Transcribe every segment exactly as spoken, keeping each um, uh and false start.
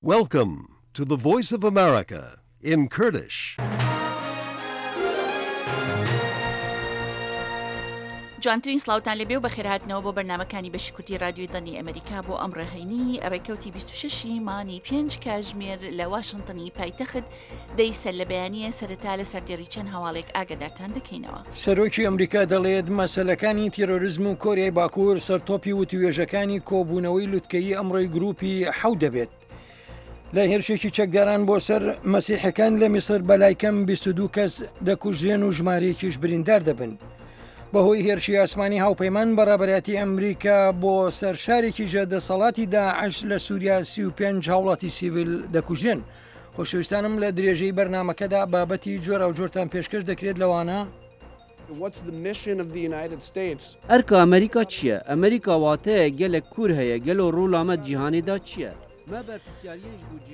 Welcome to the Voice of America in Kurdish. جوانترین سڵاوتان لێبێ و بەخێرهاتنەوە بۆ بەرنامەکانی بەشی کوردی رادیۆی دەنگی ئەمریکا بۆ ئەمڕۆ هەینی ڕێکەوتی بیست و شەش ی مانگی پێنج کاژمێر لە واشنتنی پایتەخت دەی سەر لە بەیانیە سەرەتا لە سەردێڕی چەند هەواڵێک ئاگادارتان دەکەینەوە. سەرۆکی ئەمریکا دەڵێت مەسەلەکانی تیرۆریزم و کۆریای باکوور سەرتۆپی وتوێژەکانی کۆبوونەوەی لوتکەیی ئەمڕۆی گروپی حەوت دەبێت. لە هێرشێکی چەکداران بۆ سەر مەسیحەکان لە میسر بەلای کەم بیست و دوو کەس دەکوژرێن و ژمارەیەکیش بریندار دەبن. بەهۆی هێرشی ئاسمانی هاوپەیمان بە ڕابەرایەتی ئەمریکا بۆ سەر شارێکی ژێردەسەڵاتی داعش لە سووریا سی و پێنج هاوڵاتی سیڤیل دەکوژرێن. خۆشەویستانم لە درێژەی بەرنامەکەدا بابەتی جۆراوجۆرتان پێشکەش دەکرێت لەوانە ئەرکە ئەمریکا چییە؟ ئەمریکا واتەیە گەلێک کور هەیە، گەلۆ ڕوولامە جیهانیدا چییە؟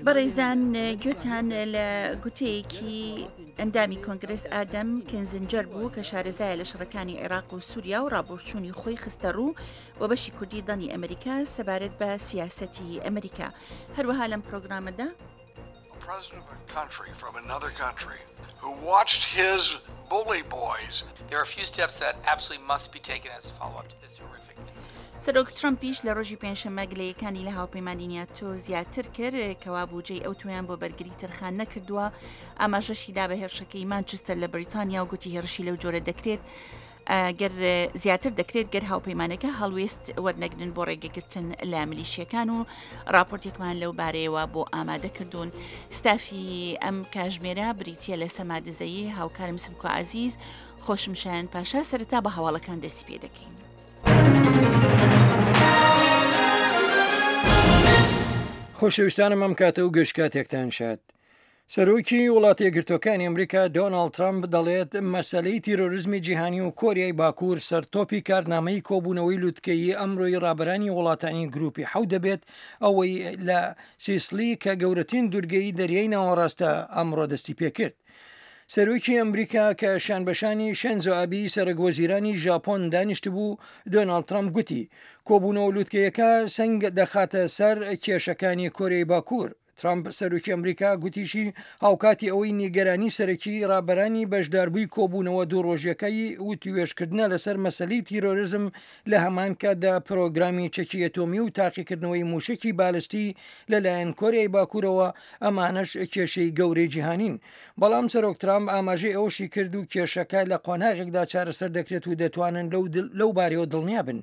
بەڕێزان گوێتان لە گوتەیەکی ئەندامی کۆنگرس ئادەم کینزنجەر بوو کە شارەزایە لە شەڕەکانی عێراق و سووریا و ڕابۆچوونی خۆی خستە ڕوو بۆ بەشی کوردی دەنگی ئەمریکا سەبارەت بە سیاسەتی ئەمریکا. هەروەها لەم پرۆگرامەدا سەرۆک ترەمپیش لە ڕۆژی پێنجشەممە گلەیەکانی لە هاوپەیمانی ناتۆ زیاتر کرد کەوا بودجەی ئەو تۆیان بۆ بەرگری تەرخان نەکردووە. ئاماژەشی دا بە هێرشەکەی مانچستەر لە بەریتانیا و گوتی هێرشی لەو جۆرە دەکرێت گەر زیاتر دەکرێت گەر هاوپەیمانەکە هەڵوێست وەرنەگرن بۆ ڕێگەگرتن لە ملیشیەکان و راپۆرتێکمان لەو بارەیەوە بۆ ئامادە کردوون. ستافی ئەم کاژمێرە بریتیە لە سەما دزەیی، هاوکارم سمکۆ عەزیز، خۆشم شایان پاشا. سەرەتا بە هەواڵەکان دەستی پێ دەکەین. خۆشەویستانم ئەم کاتە و گشت کاتێکتان شاد. سەرۆکی وڵاتە یەکگرتووەکانی ئەمریکا دۆناڵد ترەمپ دەڵێت مەسەلەی تیرۆریزمی جیهانی و کۆریای باکوور سەرتۆپی کارنامەی کۆبوونەوەی لوتکەیی ئەمڕۆی ڕابەرانی وڵاتانی گروپی حەوت دەبێت، ئەوەی لە سیسلی کە گەورەترین دوورگەی دەریای ناوەڕاستە ئەمڕۆ دەستی پێکرد. سەرۆکی ئەمریکا کە شانبەشانی شێنزۆ ئابی سەرۆک وەزیرانی ژاپۆن دانیشتبوو، دۆناڵد ترەمپ گوتی کۆبوونەوە لوتکەیەکە سەنگ دەخاتە سەر کێشەکانی کۆریای باکوور. ترامپ سەرۆکی ئەمریکا گوتیشی هاوکاتی ئەوەی نیگەرانی سەرەکی ڕابەرانی بەشداربووی کۆبوونەوە دوو ڕۆژیەکەی وتوێژکردنە لەسەر مەسەلەی تیرۆریزم، لە هەمان کاتدا پرۆگرامی چەکی ئەتۆمی و تاقیکردنەوەی موشکی بالستی لەلایەن کۆریای باکوورەوە، ئەمانەش کێشەی گەورەی جیهانین. بەڵام سەرۆک ترامپ ئاماژەی ئەوەشی کرد و کێشەکە لە قۆناغێکدا چارەسەر دەکرێت و دەتوانن لەو بارەیەوە دڵنیا بن.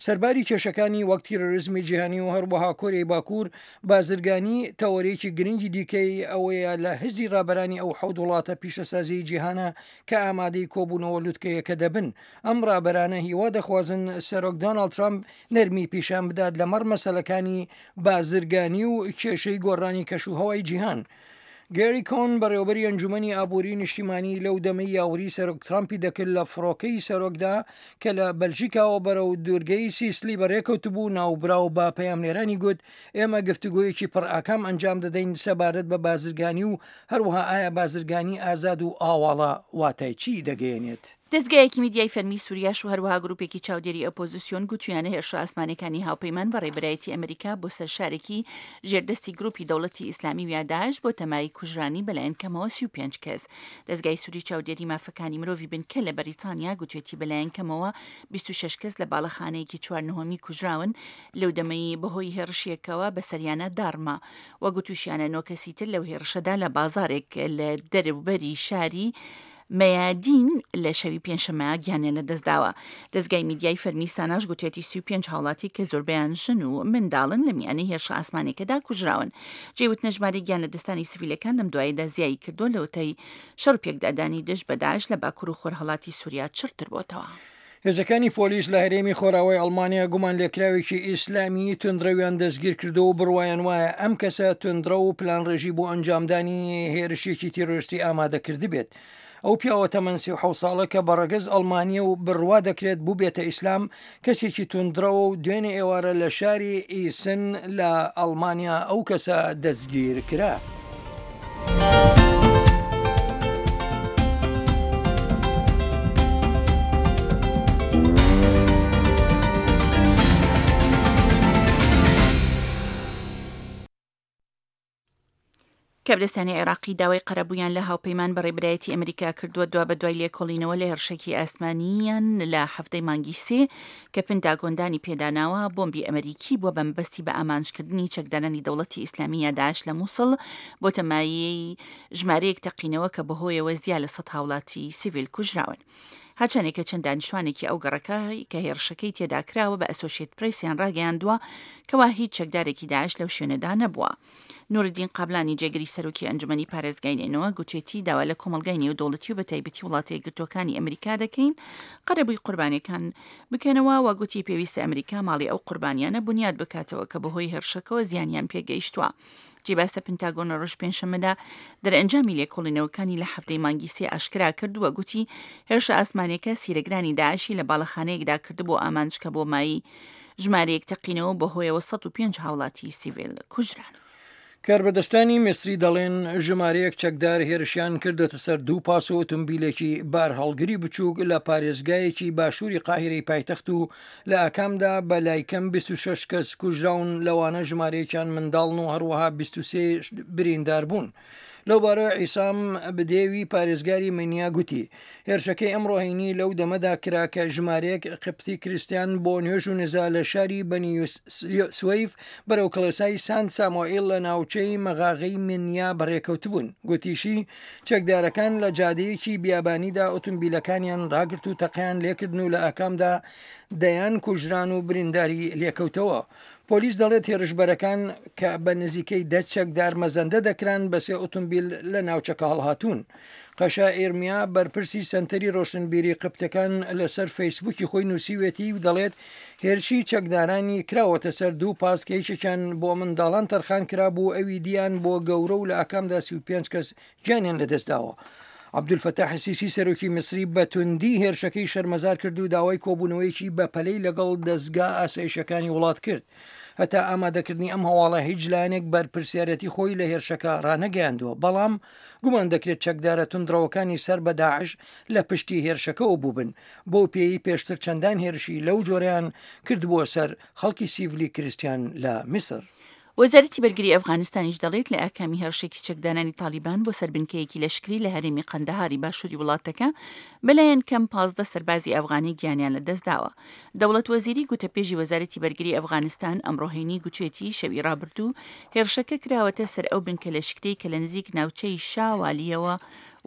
سەرباری کێشەکانی وەک تیرۆریزمی جیهانی و هەروەها کۆریای باکوور، بازرگانی تەوەرێکی گرنگی دیکەی ئەوەیە لە هزی ڕابەرانی ئەو حەوت وڵاتە پیشەسازیی جیهانە کە ئامادەی کۆبوونەوە لوتکەیەکە دەبن. ئەم ڕابەرانە هیوا دەخوازن سەرۆک دۆناڵد ترامپ نەرمی پیشان بدات لەمەڕ مەسەلەکانی بازرگانی و کێشەی گۆڕانی کەشوهەوای جیهان. گێری کۆن بەڕێوەبەری ئەنجومەنی ئابووری نیشتیمانی لەو دەمەی یاوەری سەرۆک ترامپی دەکرد لە فڕۆکەی سەرۆکدا کە لە بەلژیکاوە بەرەو دوورگەی سیسلی بەڕێکەوتبوو، ناوبراو بە پەیامنێرانی گوت ئێمە گفتوگۆیەکی پڕئاکام ئەنجام دەدەین سەبارەت بە بازرگانی و هەروەها ئایا بازرگانی ئازاد و ئاواڵە واتای چی دەگەیەنێت. دەزگایەکی میدیای فەرمی سووریاش و هەروەها گروپێکی چاودێری ئۆپۆزیسیۆن گوتویانە هێرشە ئاسمانەکانی هاوپەیمان بە ڕێبەرایەتی ئەمریکا بۆ سەر شارێکی ژێردەستی گروپی دەوڵەتی ئیسلامی و داعش بۆ تەمای کوژرانی بەلایەن کەمەوە سی و پێنج کەس. دەزگای سووری چاودێری مافەکانی مرۆڤی بنکە لە بەریتانیا گوتوێتی بەلایەن کەمەوە بیست و شەش کەس لە باڵەخانەیەکی چوار نهۆمی کوژراون لەو دەمەی بەهۆی هێڕشێکەوە بەسەریانە داڕما و گوتوشیانە نۆ کەسی تر لەو هێڕشەدا لە بازارێک لە دەروبەری شاری مەیادین لە شەوی پێنجشەممە گیانیان لەدەستداوە. دەزگای میدیای فەرمی ساناش گوتێتی سی و پێنج هاوڵاتی کە زۆربەیان ژن و منداڵن لە میانەی هێرشە ئاسمانێکەدا کوژراون. جێوتنە ژمارەی گیان لەدەستانی سڤیلەکان لەم دواییدا زیایی کردووە لەوەتەی شەڕ پێکدادانی دژ بە داعش لە باکوور و خۆرهەڵاتی سووریا چڕتر بۆتەوە. هێزەکانی پۆلیس لە هەرێمی خۆراوای ئەڵمانیا گومان لێکراوێکی ئیسلامی توندڕەویان دەستگیر کردو و بڕوایان وایە ئەم کەسە توندڕەو و پلانڕێژی بۆ ئەنجامدانی هێرشێکی تیرۆریستی ئامادە کردبێت. ئەو پیاوە تەمەن سی و حەوت ساڵە کە بە ڕەگەز ئەڵمانیە و بڕوا دەکرێت بووبێتە ئیسلام، کەسێکی توندڕەوە و دوێنێ ئێوارە لە شاری ئیسن لە ئەڵمانیا ئەو کەسە دەستگیر کرا. کاربەدەستانی عێراقی داوای قەرەبوویان لە هاوپەیمان بە ڕێبەرایەتی ئەمریکا کردووە دوابەدوای لێکۆڵینەوە لە هێرشێکی ئاسمانیان لە حەفتەی مانگی سێ کە پنتاگۆن دانی پێداناوە بۆمبی ئەمریکی بووە بە مەبەستی بە ئامانجکردنی چەکدارانی دەوڵەتی ئیسلامی یا داعش لە مووسڵ بۆتە مایەی ژمارەیەک تەقینەوە کە بەهۆیەوە زیا لە سەد هاوڵاتی سیڤیل کوژراون. هەرچەندێکە چەند دانیشتوانێکی ئەو گەڕەکە کە هێرشەکەی تێدا کراوە بە ئەسۆشیت پرێسیان ڕاگەیاندووە کەوا هیچ چەکدارێکی داعش لەو شوێنەدا نەبووە. نوردین قابلانی جێگری سەرۆکی ئەنجومەنی پارێزگای نەینەوا گوتێتی داوا لە کۆمەڵگای نێودەوڵەتی و بەتایبەتی وڵاتە یەکگرتووەکانی ئەمریکا دەکەین قەرەبووی قوربانیەکان بکەنەوە و گوتی پێویستە ئەمریکا ماڵی ئەو قوربانیانە بنیاد بکاتەوە کە بەهۆی هێرشەکەوە زیانیان پێگەیشتووە. جێ باسە پنتاگۆن لە ڕۆژ پێنجشەممەدا دەرئەنجامی لێکۆڵینەوەکانی لە حەفتەی مانگی سێ ئاشکرا کردووە، گوتی هێرشە ئاسمانیەکە سیرەگرانی داعشی لە باڵەخانەیەکدا کردبوو ئامانج کە بۆ مایی ژمارەیەک تەقینەوە بەهۆیەوە سەد و پێنج هاوڵاتی سیڤیل کوژران. کاربەدەستانی میسری دەڵێن ژمارەیەک چەکدار هێرشیان کردوێتە سەر دوو پاس و ئۆتۆمبیلێکی بارهەڵگری بچووک لە پارێزگایەکی باشووری قاهیرەی پایتەخت و لە ئاکامدا بە لای کەم بیست و شەش کەس کوژراون، لەوانە ژمارەیەکیان منداڵن و هەروەها بیست و سێ بریندار بوون. لەوبارەوە عیسام بدێوی پارێزگاری منیا گوتی هێرشەکەی ئەمڕۆ هەینی لەو دەمەدا کرا کە ژمارەیەک قبطی کریسیان بۆ نوێژ و نزا لە شاری بەنی سوەیف بەرەو کڵێسای سانت سامۆئیل لە ناوچەی مەغاغەی منیا بەڕێکەوتبوون. گوتیشی چەکدارەکان لە جادەیەکی بیابانیدا ئۆتۆمبیلەکانیان ڕاگرت و تەقیان لێکردن و لە ئاکامدا دەیان کوژران و برینداری لێکەوتەوە. پۆلیس دەڵێت هێرشبەرەکان کە بە نزیکەی دە چەکدار مەزەندە دەکران بە سێ ئۆتۆمبیل لە ناوچەکە هەڵهاتوون. قەشا ئێرمیا بەرپرسی سەنتەری ڕۆشنبیری قبتەکان لەسەر فەیسبووکی خۆی نووسیوێتی و دەڵێت هێرشی چەکدارانی کراوەتە سەر دوو پاس کە یەکێکیان بۆ منداڵان تەرخان کرابوو ئەوی دیان بۆ گەورە و لە ئاکامدا سی و پێنج کەس گیانیان لەدەستداوە. عەبدولفەتاح سیسی سەرۆکی میسری بە توندی هێرشەکەی شەرمەزار کرد و داوای کۆبوونەوەیەکی بەپەلەی لەگەڵ دەستگا ئاسایشەکانی وڵات کرد. هەتا ئامادەکردنی ئەم هەواڵە هیچ لایەنێک بەرپرسیارەتی خۆی لە هێرشەکە ڕانەگەیاندووە، بەڵام گومان دەکرێت چەکدارە توندڕەوەکانی سەر بە داعش لە پشتی هێرشەکەەوە بووبن، بۆ پێی پێشتر چەندان هێرشی لەو جۆریان کردبووە سەر خەڵکی سیڤلی کریسیان لە میسر. وەزارەتی بەرگری ئەفغانستانیش دەڵێت لە ئاکامی هێرشێکی چەکدانانی تالیبان بۆ سەر بنکەیەکی لەشکری لە هەرێمی قەندەهاری باشووری وڵاتەکە بەلایەن کەم پازدە سەربازی ئەفغانی گیانیان لەدەستداوە. دەوڵەت وەزیری گوتەپێژی وەزارەتی بەرگری ئەفغانستان ئەمڕۆ هەینی گوتوێتی شەوی ڕابردوو هێرشەکە کراوەتە سەر ئەو بنکە لەشکری کە لە نزیک ناوچەی شاوالیەوە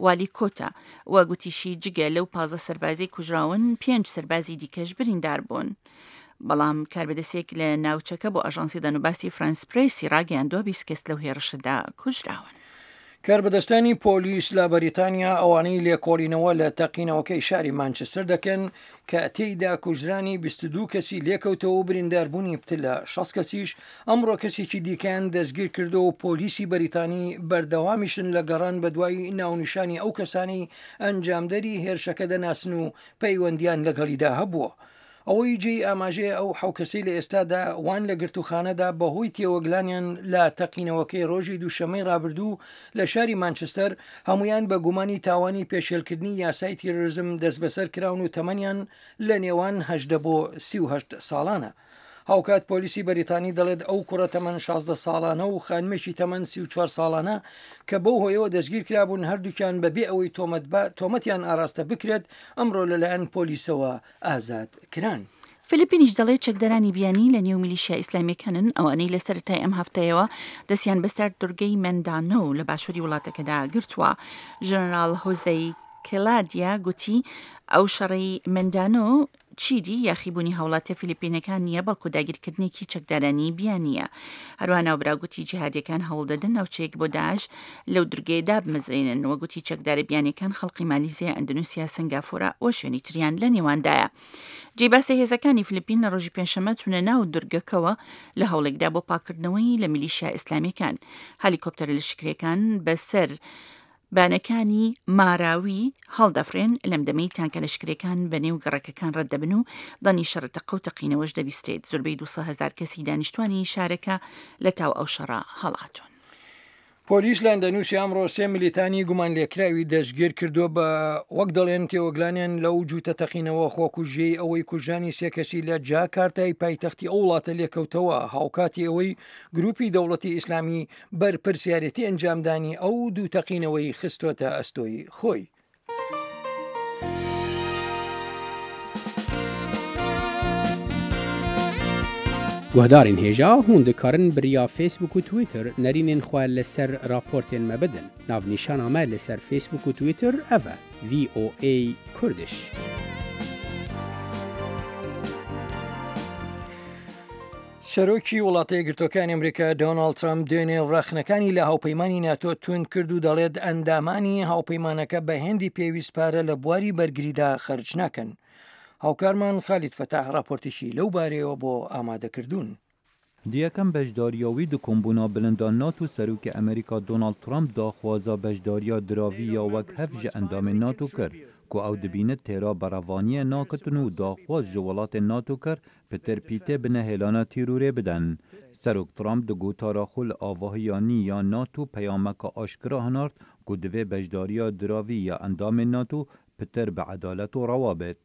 والی کۆتا و گوتیشی جگە لەو پازدە سەربازی کوژراون پێنج سەربازی دیکەش بریندار بوون. بەڵام کاربەدەستێک لە ناوچەکە بۆ ئاژانسی دەنوباسی فرانس پرێسی ڕاگەیاندووە بیست کەس لەو هێرشەدا کوژراون. کاربەدەستانی پۆلیس لە بەریتانیا ئەوانەی لێکۆڵینەوە لە تەقینەوەکەی شاری مانچستەر دەکەن کە تێیدا کوژرانی بیست و دوو کەسی لێکەوتەوە و برینداربوونی پتر لە شەست کەسیش ئەمڕۆ کەسێکی دیکەیان دەستگیر کردەوە و پۆلیسی بەریتانی بەردەوامیشن لە گەڕان بەدوای ناونیشانی ئەو کەسانی ئەنجامدەری هێرشەکە دەناسن و پەیوەندیان لەگەڵیدا هەبووە. ئەوەی جێی ئاماژەیە ئەو حەو کەسەی لە ئێستادا وان لە گرتوخانەدا بەهۆی تێوەگلانیان لە تەقینەوەکەی ڕۆژی دووشەمەی ڕابردوو لە شاری مانچستەر هەمویان بە گومانی تاوانی پێشێلکردنی یاسای تیرۆریزم دەستبەسەر کراون و تەمەنیان لە نێوان هەژدە بۆ سی و هەشت ساڵانە. هاوکات پۆلیسی بەریتانی دەڵێت ئەو کوڕە تەمەن شازدە ساڵانە و خانمێکی تەمەن سی و چوار ساڵانە کە بەو هۆیەوە دەستگیر کرابوون هەردووکیان بەبێ ئەوەی تۆمەتیان ئاراستە بکرێت ئەمڕۆ لەلایەن پۆلیسەوە ئازاد کران. فلیپینیش دەڵێت چەکدارانی بیانی لە نێو میلیشیا ئیسلامیەکانن ئەوانەی لە سەرەتای ئەم هەفتەیەوە دەستیان بەسەر دورگەی مەندانۆ لە باشووری وڵاتەکەدا گرتووە. ژەنەراڵ هۆزەی کلادیا گوتی ئەو شەڕەی مەندانۆ چیدی یاخیبوونی هاوڵاتە فلیپینەکان نییە، بەڵکو داگیرکردنێکی چەکدارانی بیانییە. هەروەها ناوبراو گوتی جیهادیەکان هەوڵدەدەن ناوچەیەک بۆ داعش لەو دورگەیە دابمەزرێنن و گوتی چەکدارە بیانیەکان خەڵقی مالیزیا، ئەندونوسیا، سنگافورە و شوێنی تریان لە نێواندایە. جێی باسە هێزەکانی فلیپین لە ڕۆژی پێنجشەممە چوونە ناو دورگەکەوە لە هەوڵێکدا بۆ پاکردنەوەی لە میلیشیا ئیسلامیەکان. هەلیکۆپتەرە لەشکریەکان بەسەر بانەکانی ماراوی هەڵدەفرێن لەم دەمەی تانکە لەشکرەکان بە نێو گەڕەکەکان ڕەت دەبن و دەنگی شەڕە تەقە و تەقینەوەش دەبیسترێت. زۆربەی دووسەد هەزار کەسی دانیشتوانی شارەکە لە تاو ئەو شەڕە هەڵاتون. پۆلیس لە ئەندەنوسیا ئەمڕۆ سێ ملیتانی گومانلێکراوی دەستگیر کردووە بە وەک دەڵێن تێوەگلانیان لەو جووتە تەقینەوە خۆکوژیەی ئەوەی کوژرانی سێ کەسی لە جاکارتای پایتەختی ئەو وڵاتە لێکەوتەوە، هاوکاتی ئەوەی گروپی دەوڵەتی ئیسلامی بەرپرسیارێتی ئەنجامدانی ئەو دوو تەقینەوەی خستۆتە ئەستۆی خۆی. Guhdarên hêja hûn dikarin bi riya Facebook û Twitter nerînên xwe li ser raportên me bidin. Navnîşana me li ser Facebook û Twitter ev e: V O A Kurdish. سەرۆکی وڵاتە یەکگرتووەکانی ئەمریکا دۆناڵد ترەمپ دوێنێ ڕەخنەکانی لە هاوپەیمانی ناتۆ توند کرد و دەڵێت ئەندامانی هاوپەیمانەکە بە هێندی پێویست پارە لە بواری بەرگریدا خەرج ناکەن. هاوکارمان خالید فەتاح راپۆرتێکی لەو بارەیەوە بۆ ئامادەکردوون. Di yekem beşdariya wî di kombûna bilinda NATO serokê Amerîka Donald Trump daxwaza beşdariya diravî ya wek hev ji endamên NATO kir ku ew dibîne têra berevaniyê nakitin û daxwaz ji welatên NATO kir pitir pîtê bi nehêlana tîrorê bidin. Serok Trump di gotara xwe li avahiya nî ya NATO peyameka aşkira hinart ku divê beşdariya diravî ya endamên NATO pitir bi edalet û rewa bêt.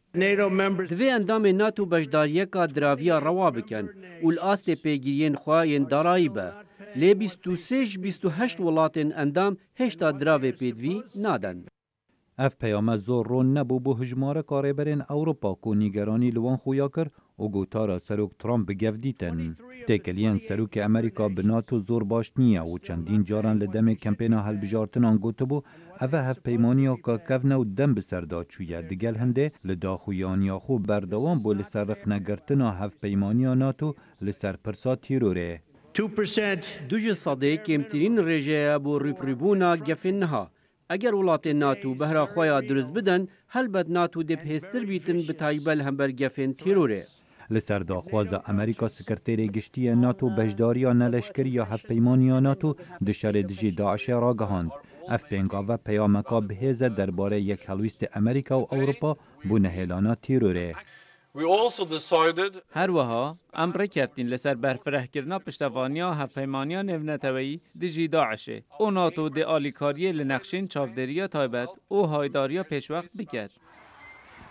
Divê endamên NATO beşdariyeka diraviya rewa bikin û li astê pêgiriyên xwe yên darayî be. Lê bîst û sê ji bîst û heşt welatên endam hêşta diravê pêdivî naden. Ev peyame zor ron nebû bo hejmareka rêberên Ewropa ku nîgeranî li wan xuya kir û gotara Serok Trump bi gev dîtin. Têkiliyên Serokê Amerîka bi NATO zor baş niye û çendîn caran li demê kempêna hilbijartinan gotibû ev e hevpeymaniya ka kevne û dem bi ser da çûye. Digel hindê li daxuyaniya xwe berdewam bû li ser rexnegirtina hevpeymaniya NATO li ser pirsa tîrorê. Du ji sedê kêmtirîn rêjeye bo rûbirûbûna gefên niha. Eger welatên NATO behra xwe ya dirust bidin, helbet NATO dê bihêztir bîtin bi taybet li hember gefên tîrorê. Li ser daxwaza Amerîka Sekreterê Giştî yê NATO beşdariya neleşkeriya hevpeymaniya NATO di şerê dijî DAIŞê ragihand. Ev pêngave peyameka bihêz e derbarê yek helwîstê Amerîka û Ewropa bo nehêlana tîrorê. Her wiha em rêkeftîn li ser berfirehkirina piştevaniya hevpeymaniya navneteweyî dijî DAIŞê û NATO dê alîkariyê li nexşên çavdêriya taybet û haydariya pêşwext bike.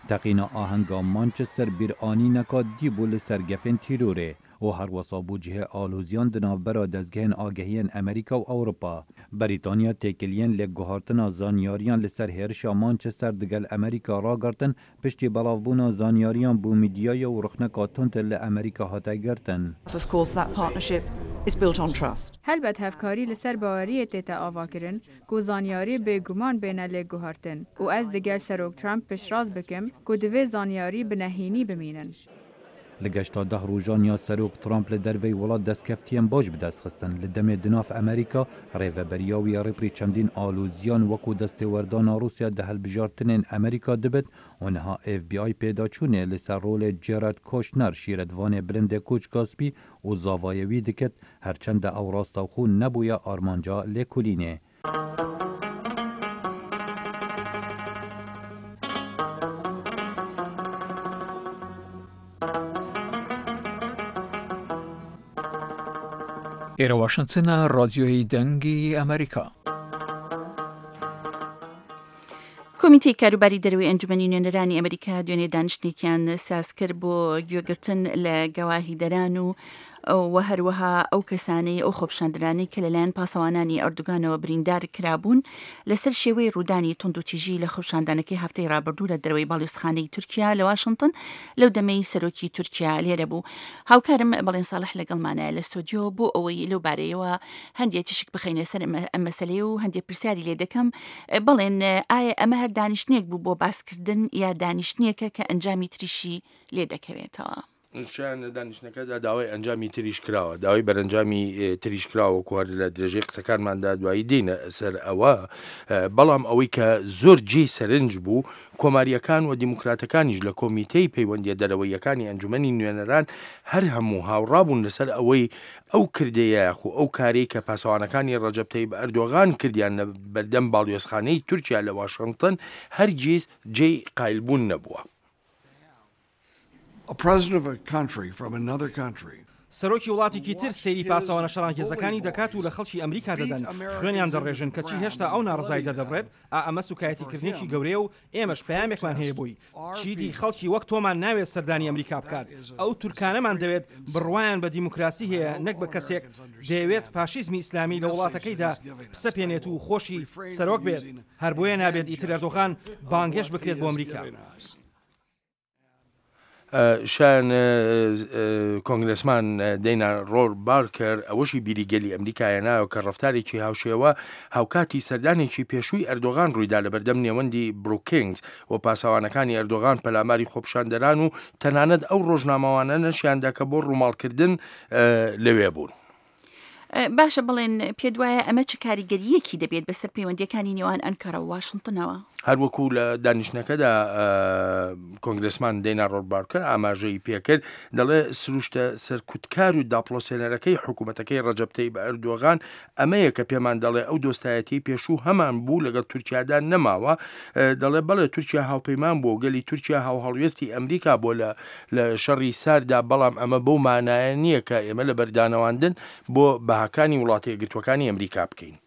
Teqîna ahenga Manchester bîranîneka dî bû li ser gefên tîrorê û her wisa bû cihê aloziyan di navbera dezgehên agehiyên Amerîka û Ewropa. Brîtanya têkiliyên lêguhartina zanyariyan li ser hêrişa Manchester digel Amerîka ragirtin piştî belavbûna zanyariyan bû medyaya û rexneka tund li Amerîka hate girtin. Of course, that partnership is built on trust. Helbet hevkarî li ser baweriyê tête avakirin ku zanyarî bêguman bêne lêguhartin û ez digel Serok Trump piştrast bikim ku divê zanyarî bi nehênî bimînin. Li geşta deh rojan ya Serok Trump li derveyî welat destkeftiyên baş bi dest xistin. Li demê di nav Amerîka rêveberiya wî rêberî çendîn aloziyan wekû destêwerdana Rûsya di hilbijartinên Amerîka dibit û niha F B I pêdaçûnê li ser rolê Jared Kushner şîretvanê bilindê Koçka Spî û zavayê wî diket herçende ew rastewxwe nebûye armanca lêkolînê. ئێرە واشنگتنە رادیۆی دەنگی ئەمریکا. کۆمیتەی کاروباری دەرەوەی ئەنجومەنی نوێنەرانی ئەمریکا دوێنێ دانیشتنێکیان ساز کرد بۆ گوێگرتن لە گەواهیدەران و و هەروەها ئەو کەسانەی ئەو خۆپیشاندەرانەی کە لەلایەن پاسەوانانی ئەردوگانەوە بریندار کرابوون لەسەر شێوەی ڕوودانی توندوتیژی لە خۆپیشاندانەکەی هەفتەی ڕابردوو لە دەرەوەی باڵیۆزخانەی تورکیا لە واشنگتن لەو دەمەی سەرۆکی تورکیا لێرە بوو. هاوکارم بەڵێن ساڵح لەگەڵمانایە لە ستۆدیۆ بۆ ئەوەی لەو بارەیەوە هەندێک تیشک بخەینە سەر ئەم مەسەلەیە و هەندێک پرسیاری لێ دەکەم. بەڵێن ئایا ئەمە هەر دانیشتنێک بوو بۆ باسکردن یا دانیشتنێکە کە ئەنجامی تریشی لێ دەکەوێتەوە؟ شیان لە دانیشتنەکەدا داوای ئەنجامی تریش کراوە، داوای بەرەنجامی تریش کراوە کوهر لە درێژەی قسەکانماندا دوایی دێنە سەر ئەوە. بەڵام ئەوەی کە زۆر جێی سەرنج بوو کۆماریەکان و دیموکراتەکانیش لە کۆمیتەی پەیوەندیە دەرەوەیەکانی ئەنجومەنی نوێنەران هەر هەموو هاوڕابوون لەسەر ئەوەی ئەو کردەیە خو ئەو کارەی کە پاسەوانەکانی ڕەجەب تەیب ئەردۆغان کردیان لە بەردەم باڵیۆزخانەی تورکیا لە واشنگتن هەرگیز جێی قایلبوون نەبووە. A president of a country from another country. سەرۆکی وڵاتێکی تر سەیری پاسەوانە شەڕانگێزەکانی دەکات و لە خەڵکی ئەمریکا دەدەن، خوێنیان دەڕێژن، کەچی هێشتا ئەو ناڕەزایی دەردەبڕێت، ئا ئەمە سوکایەتیکردنێکی گەورەیە و ئێمەش پەیامێکمان هەیە بۆی، چیدی خەڵکی وەک تۆمان ناوێت سەردانی ئەمریکا بکات، ئەو تورکانەمان دەوێت بڕوایان بە دیموکراسی هەیە نەک بە کەسێک دەیەوێت فاشیزمی ئیسلامی لە وڵاتەکەیدا بسەپێنێت و خۆشی سەرۆک بێت، هەر بۆیە نابێت ئیتر ئەردۆغان بانگهێشت بکرێت بۆ ئەمریکا. شایان کۆنگرێسمان دەینا ڕۆر بارکەر ئەوەشی بیری گەلی ئەمریکا هێنایەوە کە ڕەفتارێکی هاوشێوە هاوکاتی سەردانێکی پێشووی ئەردۆغان ڕوویدا لەبەردەم نێوەندی بروکینگز و پاسەوانەکانی ئەردۆغان پەلاماری خۆپیشاندەران و تەنانەت ئەو ڕۆژنامەوانانەشیاندا کە بۆ ڕووماڵکردن لەوێ بوون. باشە بڵێن پێت وایە ئەمە چ کاریگەرییەکی دەبێت بەسەر پەیوەندییەکانی نێوان ئەنکەرە و واشنتنەوە؟ هەروەکو لە دانیشتنەکەدا کۆنگرێسمان دەینا ڕۆربارکەر ئاماژەی پێکرد، دەڵێ سروشتە سەرکوتکار و داپڵۆسێنەرەکەی حکوومەتەکەی ڕەجەب تەیب ئەردۆغان ئەمەیە کە پێمان دەڵێ ئەو دۆستایەتیەی پێشوو هەمان بوو لەگەڵ تورکیادا نەماوە. دەڵێ بەڵێ تورکیا هاوپەیمان بووە و گەلی تورکیا هاوهەڵوێستی ئەمریکا بووە لە لە شەڕی سارددا، بەڵام ئەمە بەو مانایە نییە کە ئێمە لە بەردانەواندن بۆ بەهاکانی وڵاتە یەکگرتووەکانی ئەمریکا بکەین.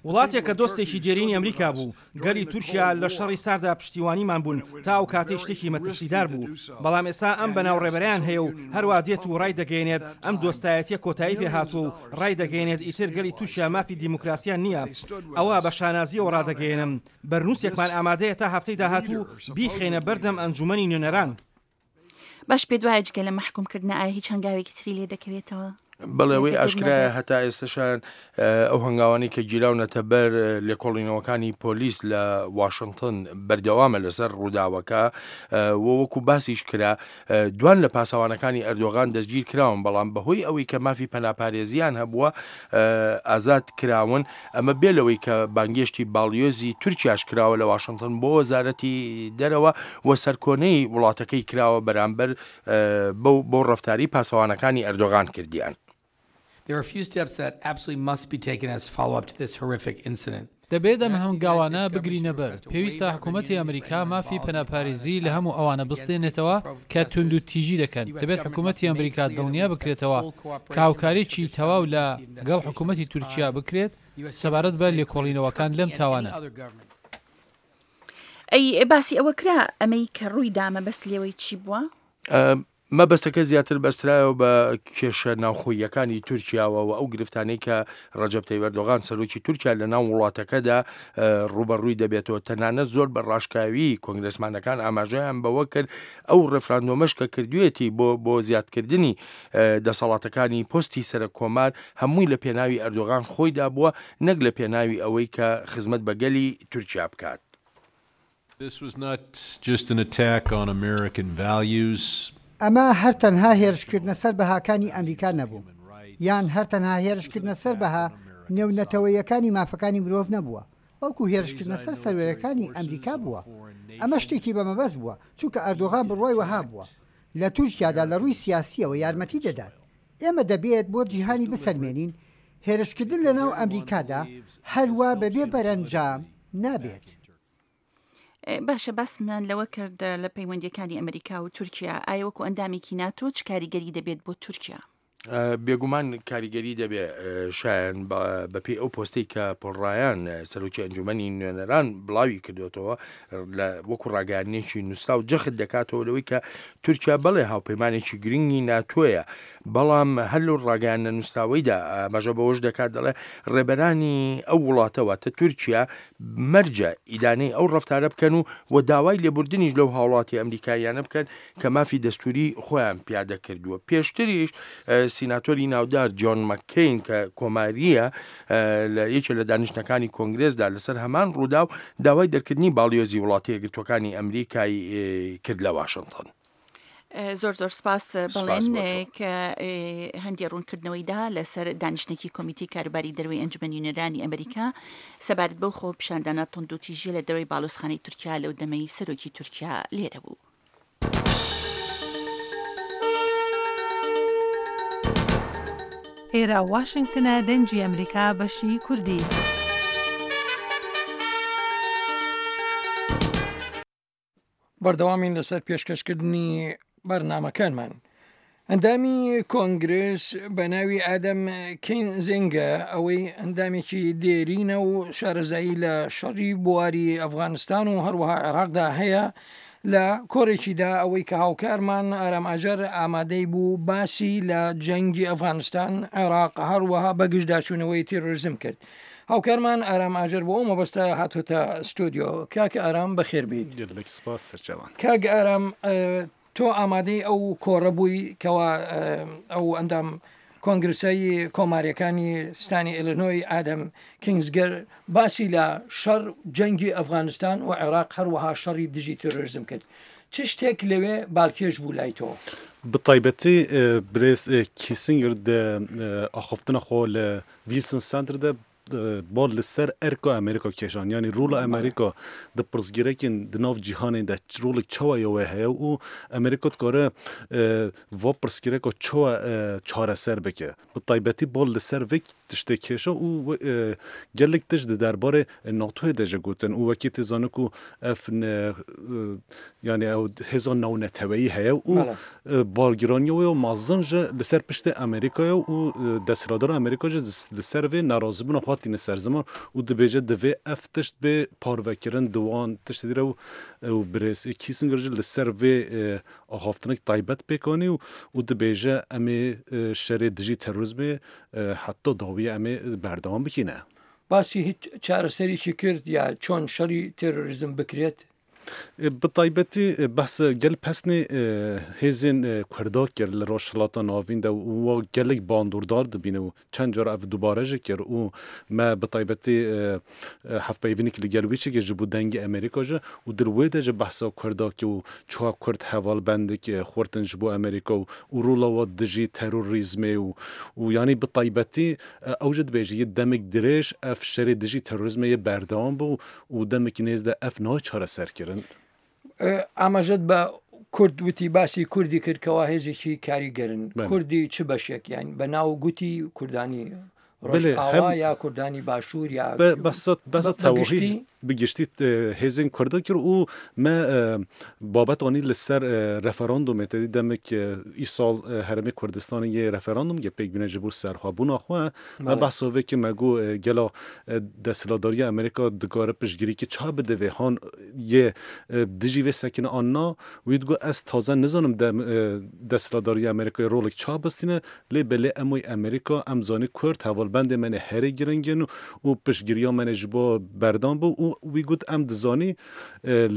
وڵاتێک کە دۆستێکی دێرینی ئەمریکا بوو، گەلی تورکیا لە شەڕی ساردا پشتیوانیمان بوون تا ئەو کاتەی شتێکی مەترسیدار بوو، بەڵام ئێستا ئەم بەناو ڕێبەرەیان هەیە و هەروا دێت و ڕایدەگەیەنێت ئەم دۆستایەتیە کۆتایی پێهاتووە و ڕایدەگەیەنێت ئیتر گەلی تورکیا مافی دیموکراسیان نییە. ئەوە بە شانازییەوە ڕادەگەیەنم بەرنووسێکمان ئامادەیە تا هەفتەی داهاتوو بیخەینە بەردەم ئەنجوومەنی نوێنەران. باش پێت وایە جگە لە مەحکوم کردنە ئایا هیچ هەنگاوێکی تری لێ دەکەوێتەوە؟ بەڵێ ئەوەی ئاشکرایە هەتا ئێستەشان ئەو هەنگاوانەی کە گیراونەتە بەر لێکۆڵینەوەکانی پۆلیس لە واشنتن بەردەوامە لەسەر ڕووداوەکە و وەکو باسیش کرا دوان لە پاسەوانەکانی ئەردۆغان دەستگیر کراون بەڵام بەهۆی ئەوەی کە مافی پەناپارێزیان هەبووە ئازاد کراون ئەمە بێ لەوەی کە بانگێشتی باڵیۆزی تورکیاش کراوە لە واشنتن بۆ وەزارەتی دەرەوە و سەرکۆنەی وڵاتەکەی کراوە بەرامبەر بەو بەو ڕەفتاری پاسەوانەکانی ئەردۆغان کردیان. دەبێت ئەم هەنگاوانە بگرینە بەر، پێویستە حکوومەتی ئەمریکا مافی پەناپارێزی لە هەموو ئەوانە بستێنێتەوە کە توندوتیژی دەکەن، دەبێت حکوومەتی ئەمریکا دڵنیا بکرێتەوە کە هاوکاریی تەواو لە گەڵ حکوومەتی تورکیا بکرێت سەبارەت بە لێکۆڵینەوەکان لەم تاوانە. ئەی باسی ئەوە کرا ئەمەی کە ڕووی دا مەبەست لێوەی چی بووە؟ مەبەستەکە زیاتر بەسترایەوە بە کێشە ناوخۆییەکانی تورکیاوە و ئەو گرفتانەی کە ڕەجەب تەیب ئەردۆغان سەرۆکی تورکیا لە ناو وڵاتەکەدا ڕووبەڕووی دەبێتەوە. تەنانەت زۆر بە ڕاشکاوی کۆنگرێسمانەکان ئاماژەیان بەوە کرد ئەو ڕێفراندۆمەش کە کردوێتی بۆ بۆ زیادکردنی دەسەڵاتەکانی پۆستی سەرەک کۆمار هەمووی لە پێناوی ئەردۆغان خۆیدا بووە نەک لە پێناوی ئەوەی کە خزمەت بە گەلی تورکیا بکات. ئەمە هەر تەنها هێرشکردنە سەر بەهاکانی ئەمریکا نەبوو، یان هەر تەنها هێرشکردنە سەر بەها نێونەتەوەییەکانی مافەکانی مرۆڤ نەبووە، بەڵکو هێرشکردنە سەر سەروەرییەکانی ئەمریکا بووە. ئەمە شتێکی بە مەبەست بووە، چونکە ئەردۆغان بڕوای وەها بووە لە تورکیادا لە ڕووی سیاسییەوە یارمەتی دەدات. ئێمە دەبێت بۆ جیهانی بسەلمێنین هێرشکردن لەناو ئەمریکادا هەروا بەبێ بەرەنجام نابێت. باشە باسمان لەوە کرد لە پەیوەندیەکانی ئەمریکا و تورکیا ئایا وەکو ئەندامێکی ناتۆ چ کاریگەری دەبێت بۆ تورکیا؟ بێگومان کاریگەری دەبێ شایەن بەپێی ئەو پۆستەی کە پۆل ڕایان سەرۆکی ئەنجومەنی نوێنەران بڵاوی کردوێتەوە لە وەکو ڕاگەیاندنێکی نووسراو جەخت دەکاتەوە لەوەی کە تورکیا بەڵێ هاوپەیمانێکی گرنگی ناتۆیە بەڵام هەر لەو ڕاگەیاندنە نووسراوەیدا ئاماژە بەوەش دەکات دەڵێ ڕێبەرانی ئەو وڵاتە واتە تورکیا مەرجە ئیدانەی ئەو ڕەفتارە بکەن و و داوای لێبوردنیش لەو هاوڵاتی ئەمریکاییانە بکەن کە مافی دەستوری خۆیان پیادە کردووە. پێشتریش سیناتۆری ناودار جۆن مەککەین کە کۆمارییە لە یەکێ لە دانیشتنەکانی کۆنگرێسدا لەسەر هەمان ڕووداو داوای دەرکردنی باڵیۆزی وڵاتە یەکگرتووەکانی ئەمریکای کرد لە واشنتن. زۆر زۆر سپاس بەڵێن کە هەندێ ڕوونکردنەوەی دا لەسەر دانیشتنێکی کۆمیتەی کاروباری دەروی ئەنجومەنی نوێنەرانی ئەمریکا سەبارەت بەو خۆپیشاندانە توندوتیژیە لە دەرەوەی باڵۆزخانەی تورکیا لەو دەمەی سەرۆکی تورکیا لێرە بوو. ئێرە واشنگتنە دەنگی ئەمریکا بەشی کوردی. بەردەوامین لەسەر پێشکەشکردنی بەرنامەکانمان. ئەندامی کۆنگرس بە ناوی ئادەم کینزینگە، ئەوەی ئەندامێکی دێرینە و شارەزایی لە شەڕی بواری ئەفغانستان و هەروەها عێراقدا هەیە، لە کۆرێکیدا ئەوەی کە هاوکارمان ئارام ئاجەر ئامادەی بوو باسی لە جەنگی ئەفغانستان، عێراق، هەروەها بەگژداچوونەوەی تیرۆریزم کرد. هاوکارمان ئارام ئاجەر بۆ ئەو مەبەستە هاتۆتە ستۆدیۆ. کاک ئارام بەخێر بیت. گەلێک سپاس سەرچاوان. کاک ئارام، تۆ ئامادەی ئەو کۆڕە بووی کەوا ئەو ئەندام کۆنگرسەی کۆماریەکانی ستانی ئیلینۆی ئادەم کینگزگەر باسی لە شەڕ جەنگی ئەفغانستان و عێراق هەروەها شەڕی دژی تێرۆریزم کرد. چ شتێک لەوێ بالکێش بوو لای تۆ؟ بە تایبەتی برێز کیسنگر ئاخفتنە خۆ لە ویلسن سەنتەر بال لەسەر ئەرکا ئەمریکا کێشان، یعنی ڕۆڵ ئەمریکا د پرسگیرەکین د ناو جیهانê de rolek çawa ya wê heye û Amerîka dikare va pirsgirêka çawa çareser bike. Bi taybetî bal li ser vê tiştê kêşa û gelek tişt di derbarê NATOyê de jî gotin û wekî tê zanin ku ev yani ew hêza navneteweyî heye û balgiraniya wê mezin ji li ser piştê Amerîkayê û desthilatdara Amerîka jî li ser vê nerazîbûna xwe tîne ser ziman û dibêje divê ev tişt bê parvekirin di wan tiştê re û birêz Kissinger jî li ser vê axaftinek taybet pêk anî û dibêje em ê şerê dijî terrorizmê heta dawiyê em ê berdewam bikîne. باسی هیچ چارەسەرێکی کرد یا چۆن شەڕی تێرۆریزم بکرێت؟ بە تایبەتی بەس گەل پەسنê hêzên Kurda kir li Rojhilata Navîn de û wa gelek bandordar dibîne û çend car ev dubare jî kir û me bi taybetî hevpeyvînek li gel wî çêkir ji bo dengê Amerîka jî û di wê de jî behsa Kurda kir û çawa Kurd hevalbendek xortin ji bo Amerîka û rola wa dijî terorîzmê û û yanî bi taybetî ew jî dibêje yê demek dirêj ev şerê dijî terorîzmê yê berdewam bû û demekî nêz de ev nayê çareserkirin. ئاماژەت بە کورد وتی، باسی کوردی کرد کەوا هێزێکی کاریگەرن. کوردی چ بەشێک؟ یان بە ناو گوتی کوردانی ڕۆژئاوا یا کوردانی باشوور یا بەسە تەواوی بگشتی هێزên Kurda kir û me babet anî li ser referandûmê te dî demek îsal herêmê Kurdistanê yê referandûm ge pêk bîne ji bo serxwebûna xwe. Me behsa vê kir me got gela desthilatdariya Amerîka dikare piştgirîkê ça bide vê han yê dijî vê sekine an na. Wî digot ez taze nizanim desthilatdariya Amerîkayê rolek ça bistîne lê belê em wê Amerîka em zanî Kurd hevalbendê me ne herî giring in û piştgiriya me ne ji bo berdan bû û wî got em dizanî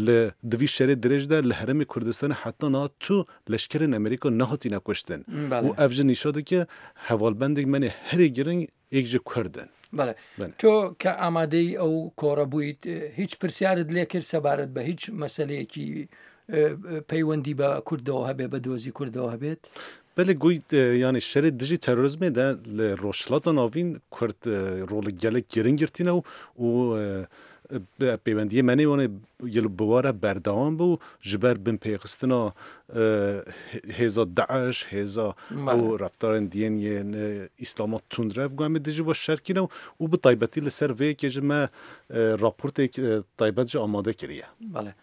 li di vî şerê dirêj de li herêmê Kurdistanê heta niha tu leşkerên Amerîka nehatîne kuştin û ev jî nîşa dike hevalbendek me ne herî giring yek ji Kurd in. بەڵێ، تۆ کە ئامادەی ئەو کۆڕە بوویت هیچ پرسیارت لێ کرد سەبارەت بە هیچ مەسەلەیەکی پەیوەندی بە کوردەوە هەبێ، بە دۆزی کوردەوە هەبێت؟ بەلێ گوی یعنی شەرê dijî terrorizmê de li Rojhilata Navîn Kurd rolek gelek giring girtîne û pêwendiyê me nê wan bi ware berdewam bû ji ber binpêxistina hêza Daeş, hêza û reftarên diyên yên İslama tundrev got em ê dijî va şerkîne û bi taybetî li ser vê yekê ji me raportek taybet jî amade kiriye. Belê.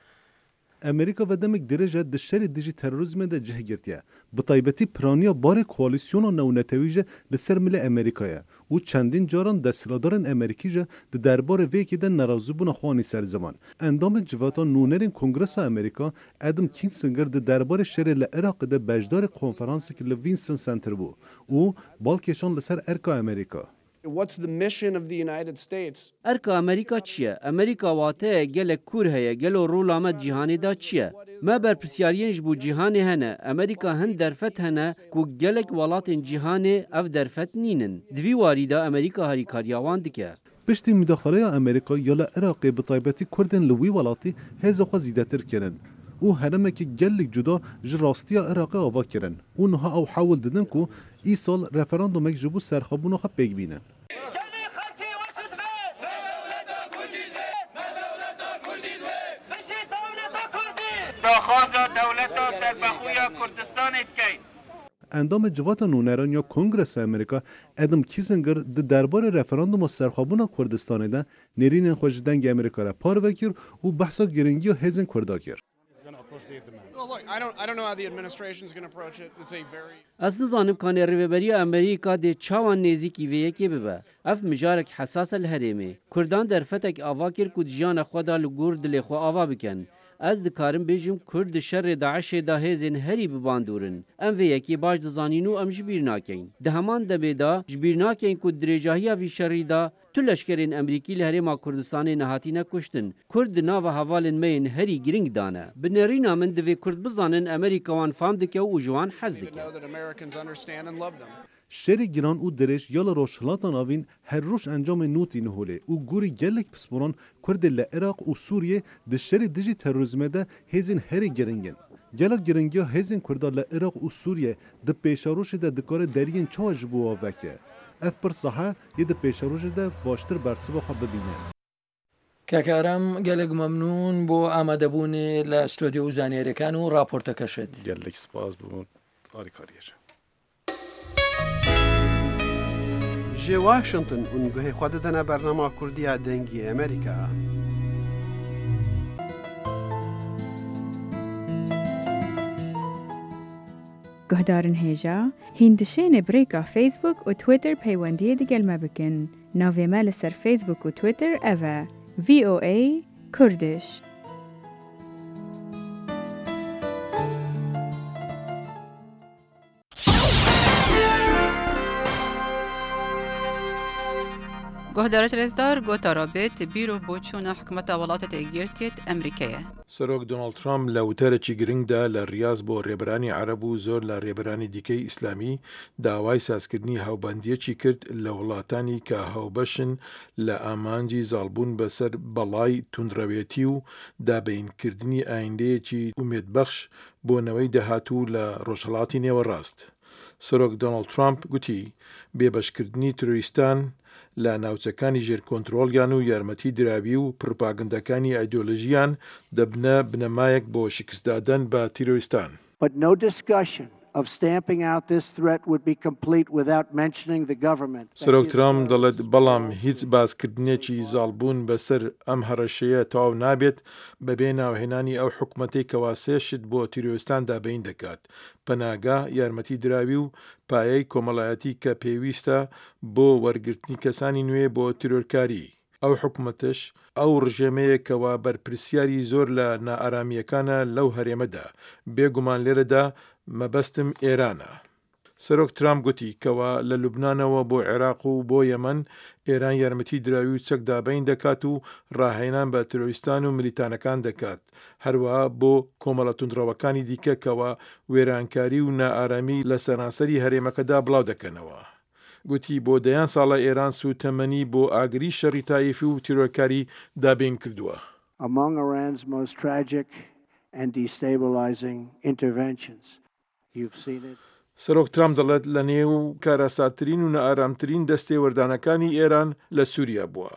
Amerîka ve demek dirêj e di şerê dijî terrorizmê de cih girtiye. Bi taybetî piraniya barê koalîsyona navnetewî jî li ser milê Amerîka ye û çendîn caran desthilatdarên Amerîkî jî di derbarê vê yekê de nerazîbûna xwe anî ser ziman. Endamê civata nûnerên Kongresa Amerîka Adam Kinzinger di derbarê şerê li Iraqê de beşdarê konferansek li Wilson Center bû û balkêşan li ser erka Amerîka. What's the mission of the United States? Erka Amerîka çi ye? Amerîka wateyek gelek kûr heye, gelo rola me cîhanê de çi ye? Me berpirsyariyên ji bo cîhanê hene. Amerîka hin derfet hene ku gelek welatên cîhanê ev derfet nînin. Di vî warî de Amerîka harîkariya wan dike. Piştî müdaxaleya Amerîka ya li Iraqê bi taybetî Kurdên li wî welatî hêza xwe zêdetir kirin û herêmekî gelek cuda ji rastiya Iraqê ava kirin û niha ew hewl didin ku îsal referandumek ji bo serxwebûna xwe pêk bînin. Endamê Civata Nûneran ya Kongresa Amerîka Adam Kinzinger di derbarê referanduma serxwebûna Kurdistanê de nêrînên xwe ji dengê Amerîka re parve kir û behsa giringiya hêzên Kurda kir. Ez nizanim kanê Rêveberiya Amerîka dê çawa nêzîkî vê yekê bibe. Ev mijarek hesas e li herêmê. Kurdan derfetek ava kir ku di jiyana xwe de li gor dilê xwe ava bikin. Ez dikarim bêjim Kurd di şerê DAIŞê de hêzên herî bibandor in. Em vê yekê baş dizanîn û em ji bîr nakin. Di heman demê de ji bîr nakin ku di dirêjahiya vî şerî de tu leşkerên Amerîkî li Herêma Kurdistanê nehatine kuştin. Kurd di nava hevalên me yên herî giring de ne. Bi nêrîna min divê Kurd bizanin Amerîka wan fam dike û ji wan hez dike. Şerê giran û dirêj ya li Rojhilata Navîn her roj encamên nû tîne holê û gorî gelek pisporan Kurdê li Iraq û Sûriyê di şerê dijî terorîzmê de hêzên herî giring in. Gelek giringiya hêzên Kurda li Iraq û Sûriyê di pêşerojê de dikare deriyên çawa ji bo wan veke. Ev pirsa he yê di pêşerojê de baştir bersiva xwe bibîne. کاک ئارام gelek مەمنون بۆ ئامادەبوونی لە ستۆدیۆ و زانیاریەکان و راپۆرتەکەشت. Gelek spas بۆ ئاریکاریەکە. Ji Washington hûn guhê xwe didine bernama Kurdiya Dengê Amerîka. Guhdarên hêja, hîn dişêne bi rêka Facebook û Twitter peywendiyê digel me bikin. Navê me li ser Facebook û Twitter ev e: V O A Kurdish. Guhdarê rêzdar gotara bêt bîr û boçûna hikûmeta welatê Yekgirtiyê Amerîkayê. Serok Donald Trump لە وتارێکی گرنگدا لە ڕیاز بۆ ڕێبەرانی عەرەب و زۆر لە ڕێبەرانی دیکەی ئیسلامی داوای سازکردنی هاوبەندیەکی کرد لە وڵاتانی کە هاوبەشن لە ئامانجی زاڵبوون بەسەر بەڵای توندڕەوێتی و دابینکردنی ئایندەیەکی ئومێدبەخش بۆ نەوەی داهاتوو لە ڕۆژهەڵاتی نێوەڕاست. سەرۆک دۆناڵد ترامپ گوتی بێبەشکردنی تیرۆریستان لە ناوچەکانی ژێر کۆنترۆڵیان و یارمەتی دراوی و پروپاگەندەکانی ئایدۆلۆژیان دەبنە بنەمایەک بۆ شکستدادان بە تیرۆریستان. But no discussion of stamping out this threat would be complete without mentioning the government. سەرۆک ترامپ دەڵێت بەڵام هیچ باسکردنێکی زاڵبوون بەسەر ئەم هەڕەشەیە تەواو نابێت بەبێ ناوهێنانی ئەو حکومەتەی کەوا سێ شت بۆ تیرۆریستان دابین دەکات: پەناگا، یارمەتی دراوی و پایەی کۆمەڵایەتی کە پێویستە بۆ وەرگرتنی کەسانی نوێ بۆ تیرۆرکاری. ئەو حکومەتش ئەو ڕژێمەیەکەوە بەرپرسیاری زۆر لە نائارامیەکانە لەو هەرێمەدا. بێگومان لێرەدا مەبەستم ئێرانە. سەرۆک ترامپ گوتی کەوا لە لوبنانەوە بۆ عێراق و بۆ یەمەن ئێران یارمەتی دراوی و چەک دابین دەکات و ڕاهێنان بە تیرۆریستان و ملیتانەکان دەکات، هەروەها بۆ کۆمەڵە توندڕەوەکانی دیکە کەوا وێرانکاری و نائارامی لە سەرانسەری هەرێمەکەدا بڵاو دەکەنەوە. گوتی بۆ دەیان ساڵە ئێران سوتەمەنی بۆ ئاگری شەڕی تایفی و تیرۆرکاری دابین کردووە. Among Iran's most tragic and destabilizing interventions. You've seen it. سەرۆک ترامپ دەڵێت لە نێو کارەساتترین و نائارامترین دەستێوەردانەکانی ئێران لە سووریا بووە.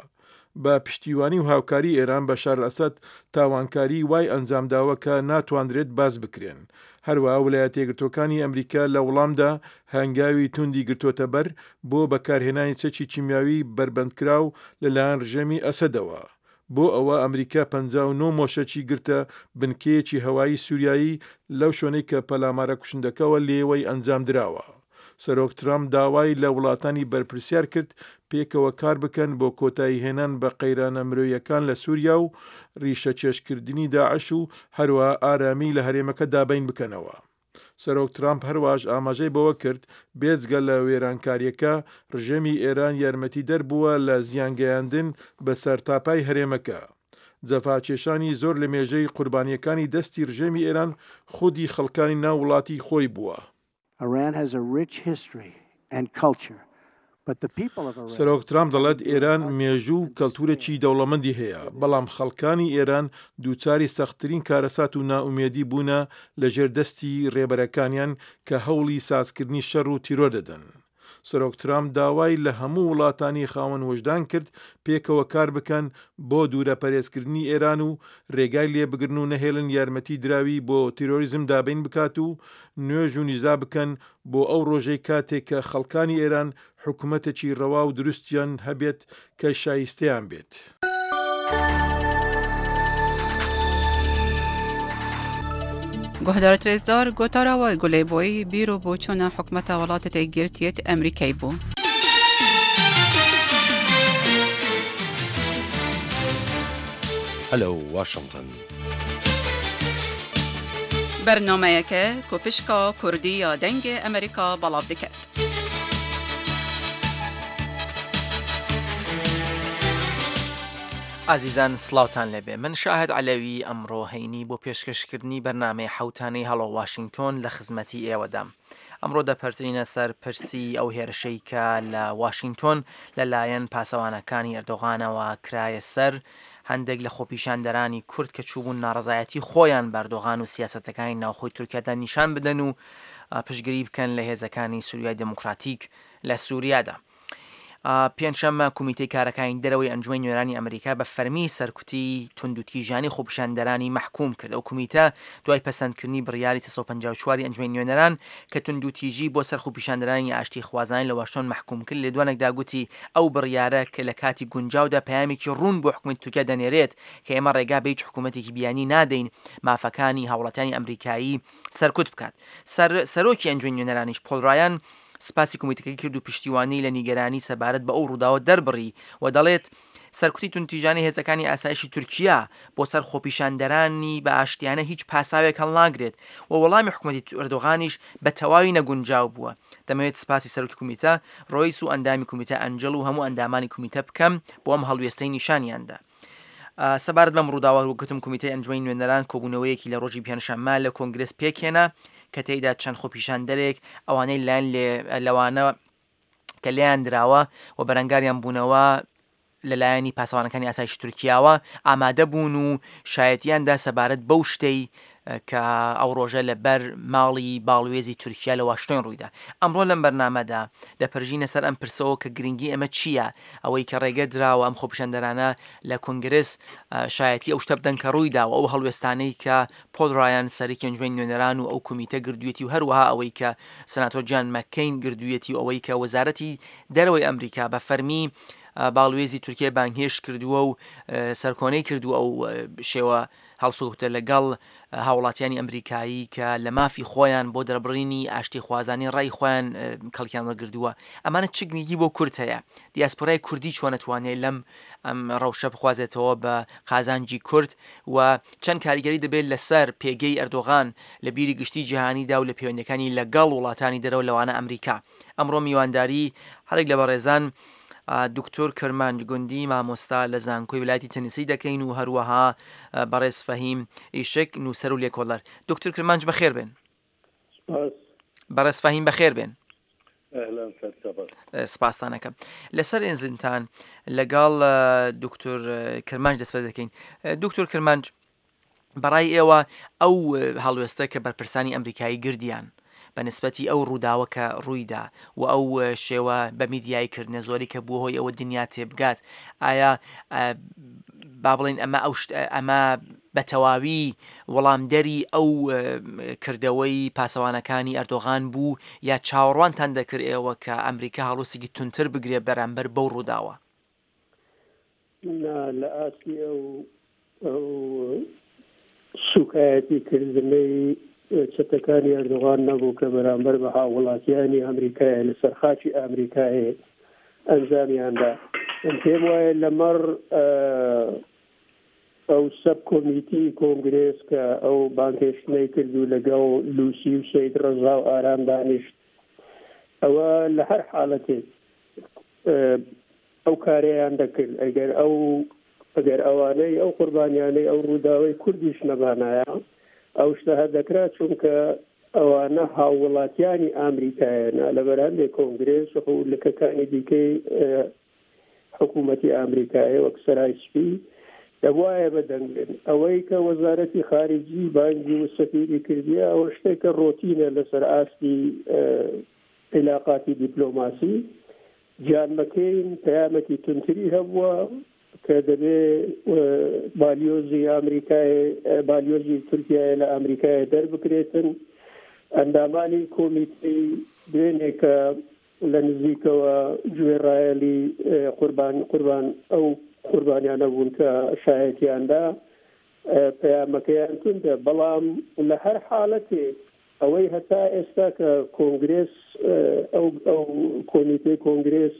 بە پشتیوانی و هاوکاری ئێران بەشار ئەسەد تاوانکاری وای ئەنجامداوە کە ناتواندرێت باز بکرێن. هەروەها ویلایەتە یەکگرتووەکانی ئەمریکا لە وەڵامدا هەنگاوی توندی گرتووەتە بەر بۆ بەکارهێنانی چەکی کیمیاوی بەربەندکراو لەلایەن ڕژێمی ئەسەدەوە. بۆ ئەوە ئەمریکا پەنجا و نۆ مۆشەکی گرتە بنکەیەکی هەوایی سووریایی لەو شوێنەی کە پەلامارە کوشندەکەوە لێوەی ئەنجام دراوە. سەرۆک ترامپ داوای لە وڵاتانی بەرپرسیار کرد پێکەوە کار بکەن بۆ کۆتایی هێنان بە قەیرانە مرۆیەکان لە سووریا و ڕیشەکێشکردنی داعش و هەروەها ئارامی لە هەرێمەکە دابین بکەنەوە. سەرۆک ترامپ هەرواش ئاماژەی بەوە کرد بێجگە لە وێرانکاریەکە ڕژێمی ئێران یارمەتی دەربووە لە زیانگەیاندن بە سەرتاپای هەرێمەکە. جەفاکێشانی زۆر لە مێژەی قوربانیەکانی دەستی ڕژێمی ئێران خودی خەڵکانی ناو وڵاتی خۆی بووە. Iran has a rich history and culture. سەرۆک ترامپ دەڵێت ئێران مێژوو و کەلتورێکی دەوڵەمەندی هەیە، بەڵام خەڵکانی ئێران دووچاری سەختترین کارەسات و نائومێدی بوونە لەژێر دەستی ڕێبەرەکانیان کە هەوڵی سازکردنی شەڕ و تیرۆر دەدەن. سەرۆک ترامپ داوای لە هەموو وڵاتانی خاوەن وەژدان کرد پێکەوە کار بکەن بۆ دوورەپەرێزکردنی ئێران و ڕێگای لێبگرن و نەهێڵن یارمەتی دراوی بۆ تیرۆریزم دابین بکات و نوێژ و نیزا بکەن بۆ ئەو ڕۆژەی کاتێک کە خەڵکانی ئێران حکوومەتێکی ڕەوا و دروستیان هەبێت کە شایستەیان بێت. گوهدارت رێزدار گۆتارەوە گولەی بۆی بیر و بۆچوونە حکومەتە وڵاتە یەکگرتیت ئەمریکای بوو. Hello Washington. بەرنامەیەکە کۆپشکا کوردی یا دەنگ ئەمریکا بەڵاو دەکات. ئازیزان سڵاوتان لێبێ، من شاهد عەلەوی ئەمڕۆ هەینی بۆ پێشکەشکردنی بەرنامەی حەوتانەی هەڵۆ واشنگتۆن لە خزمەتی ئێوەدام. ئەمڕۆ دەپەرترینە سەر پرسی ئەو هێرشەی کە لە واشنگتۆن لەلایەن پاسەوانەکانی ئەردۆغانەوە کرایە سەر هەندێک لە خۆپیشاندەرانی کورد کە چووبوون ناڕەزایەتی خۆیان بە ئەردۆغان و سیاسەتەکانی ناوخۆی تورکیادا نیشان بدەن و پشتگیری بکەن لە هێزەکانی سووریای دێموکراتیک لە سووریادا. پێنجشەممە کومیتەی کارەکانی دەرەوەی ئەنجومەنی نوێنەرانی ئەمریکا بە فەرمی سەرکوتی توندوتیژانی خۆپیشاندەرانی مەحکوم کرد. ئەو کومیتە دوای پەسەندکردنی بڕیاری سێ سەد و پەنجا و چوار ئەنجومەنی نوێنەران کە توندوتیژی بۆ سەر خۆپیشاندەرانی ئاشتی خوازانی لە واشنگتۆن مەحکوم کرد، لێدوانێکدا گوتی ئەو بڕیارە کە لە کاتی گونجاودا پەیامێکی ڕوون بۆ حکوومەتی تورکیا دەنێرێت کە ئێمە ڕێگا بە هیچ حکوومەتێکی بیانی نادەین مافەکانی هاوڵاتیانی ئەمریکایی سەرکوت بکات. سەرۆکی ئەنجومەنی نوێنەرانیش پۆل ڕایان سپاسی کومیتەکەی کرد و پشتیوانی لە نیگەرانی سەبارەت بە ئەو ڕووداوە دەربڕی و دەڵێت سەرکوتی توندتیژانی هێزەکانی ئاسایشی تورکیا بۆ سەر خۆپیشاندەرانی بە ئاشتیانە هیچ پاساوێک هەڵناگرێت و وەڵامی حکوومەتی ئەردۆغانیش بە تەواوی نەگونجاو بووە. دەمەوێت سپاسی سەرۆکی کومیتە ڕۆیس و ئەندامی کومیتە ئەنجل و هەموو ئەندامانی کومیتە بکەم بۆ ئەم هەڵوێستەی نیشانیاندا. سەبارەت بەم ڕووداوە وەکوتم کومیتەی ئەنجومەنی نوێنەران کۆبوونەوەیەکی لە ڕۆژی پێنجشەممە لە کۆنگرس پێکهێنا کە تێیدا چەند خۆپیشاندەرێک ئەوانەی لایەن لەوانە کە لێیان دراوە و بەرەنگاریان بوونەوە لەلایەنی پاسەوانەکانی ئاسایشی تورکیاوە ئامادە بوون و شایەتیاندا سەبارەت بەو شتەی کە ئەو ڕۆژە لەبەر ماڵی باڵوێزی تورکیا لە واشنگتۆن ڕوویدا. ئەمڕۆ لەم بەرنامەدا دەپەرژینە سەر ئەم پرسەوە کە گرنگی ئەمە چییە، ئەوەی کە ڕێگە دراوە ئەم خۆپیشاندەرانە لە کۆنگرس شایەتی ئەو شتە بدەن کە ڕوویدا و ئەو هەڵوێستانەی کە پۆل ڕایان سەرۆکی ئەنجومەنی نوێنەران و ئەو کومیتە گردوویەتی و هەروەها ئەوەی کە سناتۆر جان مەککەین گردوویەتی و ئەوەی کە وەزارەتی دەرەوەی ئەمریکا بە فەرمی باڵوێزی تورکیا بانگهێشت کردووە و سەرکۆنەی کردووە ئەو شێوە هەڵسوکەوتە لەگەڵ هاوڵاتیانی ئەمریکایی کە لە مافی خۆیان بۆ دەربڕینی ئاشتی خوازانی ڕای خۆیان کەڵکیان وەرگردووە. ئەمانە چ گرنگی بۆ کورد هەیە؟ دیاسپۆرای کوردی چۆن ئەتوانێت لەم ئەم ڕەوشە بخوازێتەوە بە قازانجی کورد و چەند کاریگەری دەبێت لەسەر پێگەی ئەردۆغان لە بیری گشتی جیهانیدا و لە پەیوەندەکانی لەگەڵ وڵاتانی دەرەوە لەوانە ئەمریکا. ئەمڕۆ میوانداری هەرێک لە بەڕێزان دکتۆر کرمانج گوندی مامۆستا لە زانکۆی ویلایەتی تەنیسی دەکەین و هەروەها بەڕێز فەهیم ئیشک نووسەر و لێکۆڵەر. دکتۆر کرمانج بەخێر بێن. بەڕێز فەهیم بەخێر بێن. سپاستانەکەم. لەسەر ئێنزنتان لەگەڵ دکتۆر کرمانج دەست پێ دەکەین. دکتۆر کرمانج، بەڕای ئێوە ئەو هەڵوێستە کە بەرپرسانی ئەمریکایی گردیان بە نسبەتی ئەو ڕووداوە کە ڕوویدا و ئەو شێوە بە میدیایی کردنە زۆری کە بووە هۆی ئەوە دنیا تێبگات، ئایا با بڵێن ئەمە ئەو ئەمە بە تەواوی وەڵامدەری ئەو کردەوەی پاسەوانەکانی ئەردۆغان بوو یا چاوەڕوانتان دەکرد ئێوە کە ئەمریکا هەڵوێستێکی توندتر بگرێ بەرامبەر بەو ڕووداوە؟ نا، لە ئاستی ئەو ئەو سوکایەتی کردنەی چەتەکانی ئەردۆغان نەبوو کە بەرامبەر بە هاووڵاتیانی ئەمریکایە لەسەر خاکی ئەمریکایە ئەنجامیاندا. من پێم وایە لەمەڕ ئەو سەب کۆمیتی کۆنگرێس کە ئەو بانگهێشتنەی کرد و لەگەڵ لوسی و سەید ڕەزا و ئارام دانیشت، ئەوە لە هەر حاڵەتێک ئەو کارەیان دەکرد. ئەگەر ئەو ئەگەر ئەوانەی ئەو قوربانیانەی ئەو ڕووداوەی کوردیش نەبانایە ئەو شتە هەر دەکرا، چونکە ئەوانە هاووڵاتیانی ئەمریکایەنە لەبەر هەندێک کۆنگرێس و لکەکانی دیکەی حکوومەتی ئەمریکایە وەک سەرای سپی دەبوایە بەدەنگ بێن. ئەوەی کە وەزارەتی خارجی بانگی و سەفیری کردیە ئەوە شتێکە ڕۆتینە لەسەر ئاستی عیلاقاتی دیپلۆماسی. جان مەکەین پەیامێکی توندتری هەبووە کە دەبێ بالیۆزی ئەمریکای بالیۆزی تورکیای لە ئەمریکای دەربکرێتن. ئەندامانی کۆمیتەی دوێنێ کە لە نزیکەوە گوێڕایەلی قوربان قوربان ئەو قوربانیانە بوون کە شایەتیاندا پەیامەکەیان توندە. بەڵام لە هەر حاڵەتێک ئەوەی هەتا ئێستا کە کۆنگرێس ئەو ئەو کۆمیتەی کۆنگرێس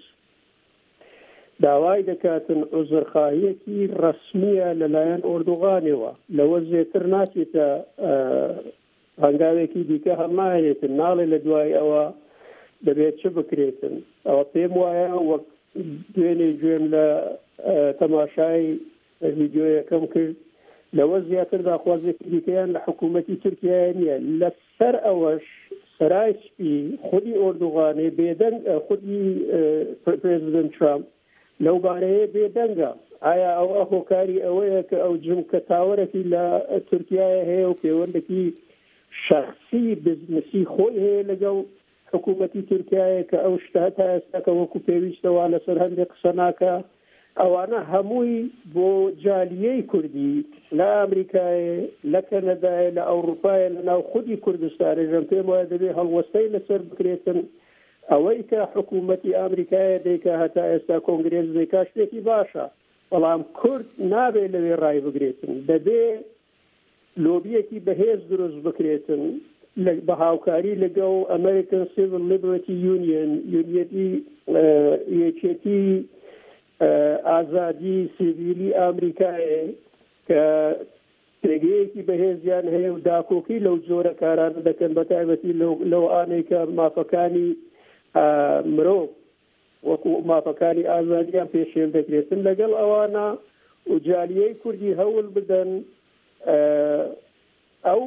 داوای دەکاتن عوزرخواهیەکی ڕەسمیە لەلایەن ئۆردوغانەوە، لەوە زێتر ناچێتە هەنگاوێکی دیکە هەڵناهێنێتن، ناڵێ لە دوای ئەوە دەبێت چ بکرێتن. ئەوە پێم وایە وەک دوێنێ گوێم لە تەماشای ڤیدیۆیەکەم کرد، لەوە زیاتر داخوازێکی دیکەیان لە حکوومەتی تورکیای نییە. لەسەر ئەوەش سەرای سپی خودی ئۆردوغانێ بێدەنگ، خودی پرێزیدنت ترامپ لەو بارەیە بێدەنگە. ئایا ئەوە هۆکاری ئەوەیە کە ئەو جمکە تاوەرێکی لە تورکیای هەیە و پەیوەندێکی شخصی بزنسی خۆی هەیە لەگەڵ حکوومەتی تورکیایە کە ئەو شتە تا ئێستا کە وەکو پێویستەوە لەسەر هەندێک قسە ناکە؟ ئەوانە هەمووی بۆ جالیەی کوردی لە ئەمریکایە، لە کەنەدایە، لە ئەوروپایە، لە ناو خودی کوردستانە ژەم پێم وایە دەبێ هەڵوەستەی لەسەر بکرێتن. ئەوەی کە حکوومەتی ئەمریکایە دەیکا هەتا ئێستا کۆنگرێس دەیکا شتێکی باشە، بەڵام کورد نابێ لەوێ ڕای بگرێتن، دەبێ لۆبیەکی بەهێز دروست بکرێتن بە هاوکاری لەگەڵ American Civil Liberty Union، یونیەتی یەکێتی ئازادی سیڤیلی ئەمریکایە کە پێگەیەکی بەهێزیان هەیە و داکۆکی لەو جۆرە کارانە دەکەن، بە تایبەتی لەو ئانەی کە مافەکانی مرۆڤ وەکو مافەکانی ئازادیان پێشێل دەکرێتن. لەگەڵ ئەوانە و جالیەی کوردی هەوڵ بدەن ئەو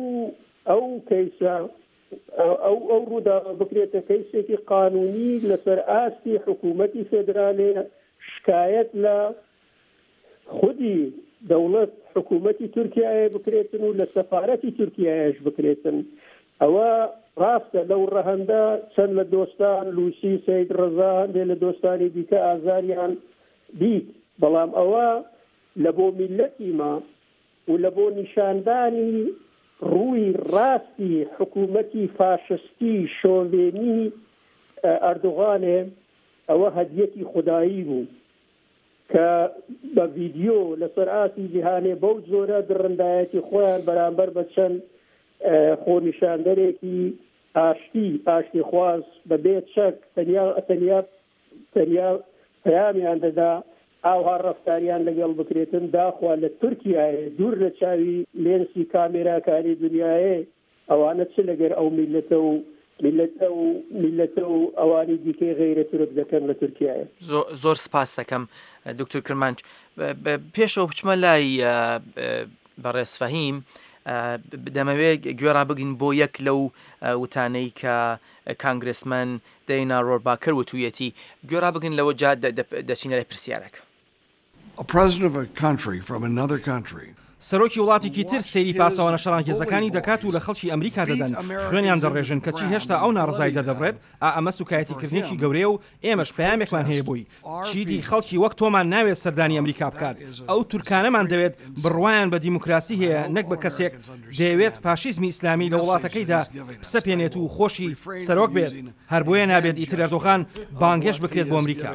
ئەو کەیسە ئەو ئەو ڕووداوە بکرێتە کەیسێکی قانونی لەسەر ئاستی حکوومەتی فێدرالێ، شکایەت لە خودی دەوڵەت حکوومەتی تورکیایە بکرێتن و لە سەفارەتی تورکیایەش بکرێتن. ئەوە ڕاستە لەو ڕەهەندە چەند لە دۆستان لوسی سەید ڕەزا هەندێ لە دۆستانی دیکە ئازاریان دیت، بەڵام ئەوە لە بۆ میللەتی ما و لە بۆ نیشاندانی ڕووی ڕاستی حکوومەتی فاشستی شۆڤێنی ئەردوغانێ ئەوە هەدیەتی خودایی بوو کە بە ڤیدیۆ لەسەر ئاستی جیهانێ بەو جۆرە دڕندایەتی خۆیان بەرامبەر بە چەند خۆنیشاندەرێکی ئاشتی ئاشتیخواز بەبێ چەک تەنیا تەنیا تەنیا پەیامیان دەدا ئاوها ڕەفتاریان لەگەڵ بکرێتن. داخوا لە تورکیایە دوور لە چاوی لێنسی کامێراکانی دنیاە ئەوانە چ لەگەر ئەو میلەتە و میلەتە و میلەتە و ئەوانی دیکەی غەیرە تورک دەکەن لە تورکیایە. زۆر سپاس دەکەم دکتۆر کرمانج. پێشەوە بچمە لای بەڕێز فەهیم، دەمەوێت گوێ ڕابگرین بۆ یەک لەو وتانەی کە کانگرسمەن دەینا ڕۆرباکەر وتوویەتی. گوێ ڕابگرین لەوە جا دەچینە لای پرسیارەکە. A president of a country from another country سەرۆکی وڵاتێکی تر سەیری پاسەوانە شەڕانگێزەکانی دەکات و لە خەڵکی ئەمریکا دەدەن، خوێنیان دەڕێژن، کەچی هێشتا ئەو ناڕەزایی دەردەبڕێت. ئا ئەمە سوکایەتیکردنێکی گەورەیە و ئێمەش پەیامێکمان هەیە بۆی. چیدی خەڵکی وەک تۆمان ناوێت سەردانی ئەمریکا بکات. ئەو تورکانەمان دەوێت بڕوایان بە دیموکراسی هەیە، نەک بە کەسێک دەیەوێت فاشیزمی ئیسلامی لە وڵاتەکەیدا بسەپێنێت و خۆشی سەرۆک بێت. هەر بۆیە نابێت ئیتر ئەردۆغان بانگهێشت بکرێت بۆ ئەمریکا.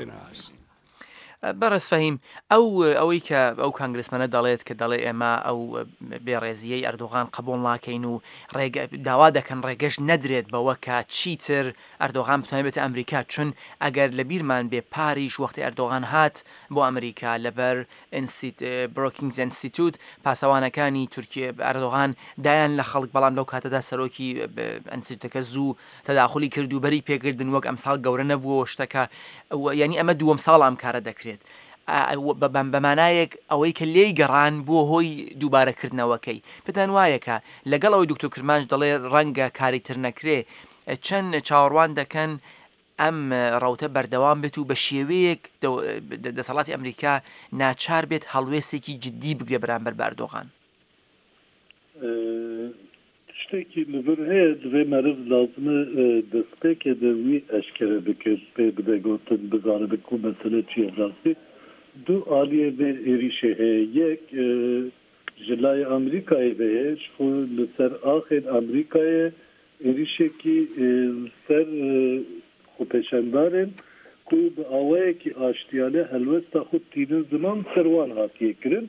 بەڕێز فەهیم، ئەو ئەوەی کە ئەو کانگرسمەنە دەڵێت کە دەڵێ ئێمە ئەو بێڕێزیەی ئەردۆغان قبوڵ ناکەین و داوا دەکەن ڕێگەش نەدرێت بەوە کە چیتر ئەردۆغان بتوانێت بێتە ئەمریکا، چون ئەگەر لە بیرمان بێ پاریش وەختی ئەردۆغان هات بۆ ئەمریکا لەبەر بروکینگز ئینستیتوت پاسەوانەکانی تورکیا ئەردۆغان دایان لە خەڵک، بەڵام لەو کاتەدا سەرۆکی ئینستیتوتەکە زوو تەداخلی کرد و بەری پێکردن وەک ئەمساڵ گەورە نەبووەوە شتەکە، یعنی ئەمە دووەم ساڵ ئەم کارە دەکرێت. بەمانایەک ئەوەی کە لێی گەڕان بووە هۆی دووبارەکردنەوەکەی. پێتان وایە کە لەگەڵ ئەوەی دکتۆر کرمانج دەڵێ ڕەنگە کاری تر نەکرێ، چەند چاوەڕوان دەکەن ئەم ڕەوتە بەردەوام بێت و بە شێوەیەک دەسەڵاتی ئەمریکا ناچار بێت هەڵوێستێکی جدی بگرێ بەرامبەر بە ئەردۆغان؟ شتێکی لەبەر هەیە دوێ مەرز لازمە دەستپێکێ دەوی ئەشکرە بکرد پێ بدەگوتن بزانە بکو مەسەلە چییە ڕاستی. دوو ئالیە بێ ئێریشێ هەیە، یەک ji لای ئەمریکای هەیە خۆ لەسەر ئاخێن ئەمریکایە ئێریشێکی سەر خۆپێشاندارن کو بە ئاوایەکی ئاشتیانە هەلوێستا خود تینن زمان سەروان هاتیەکردن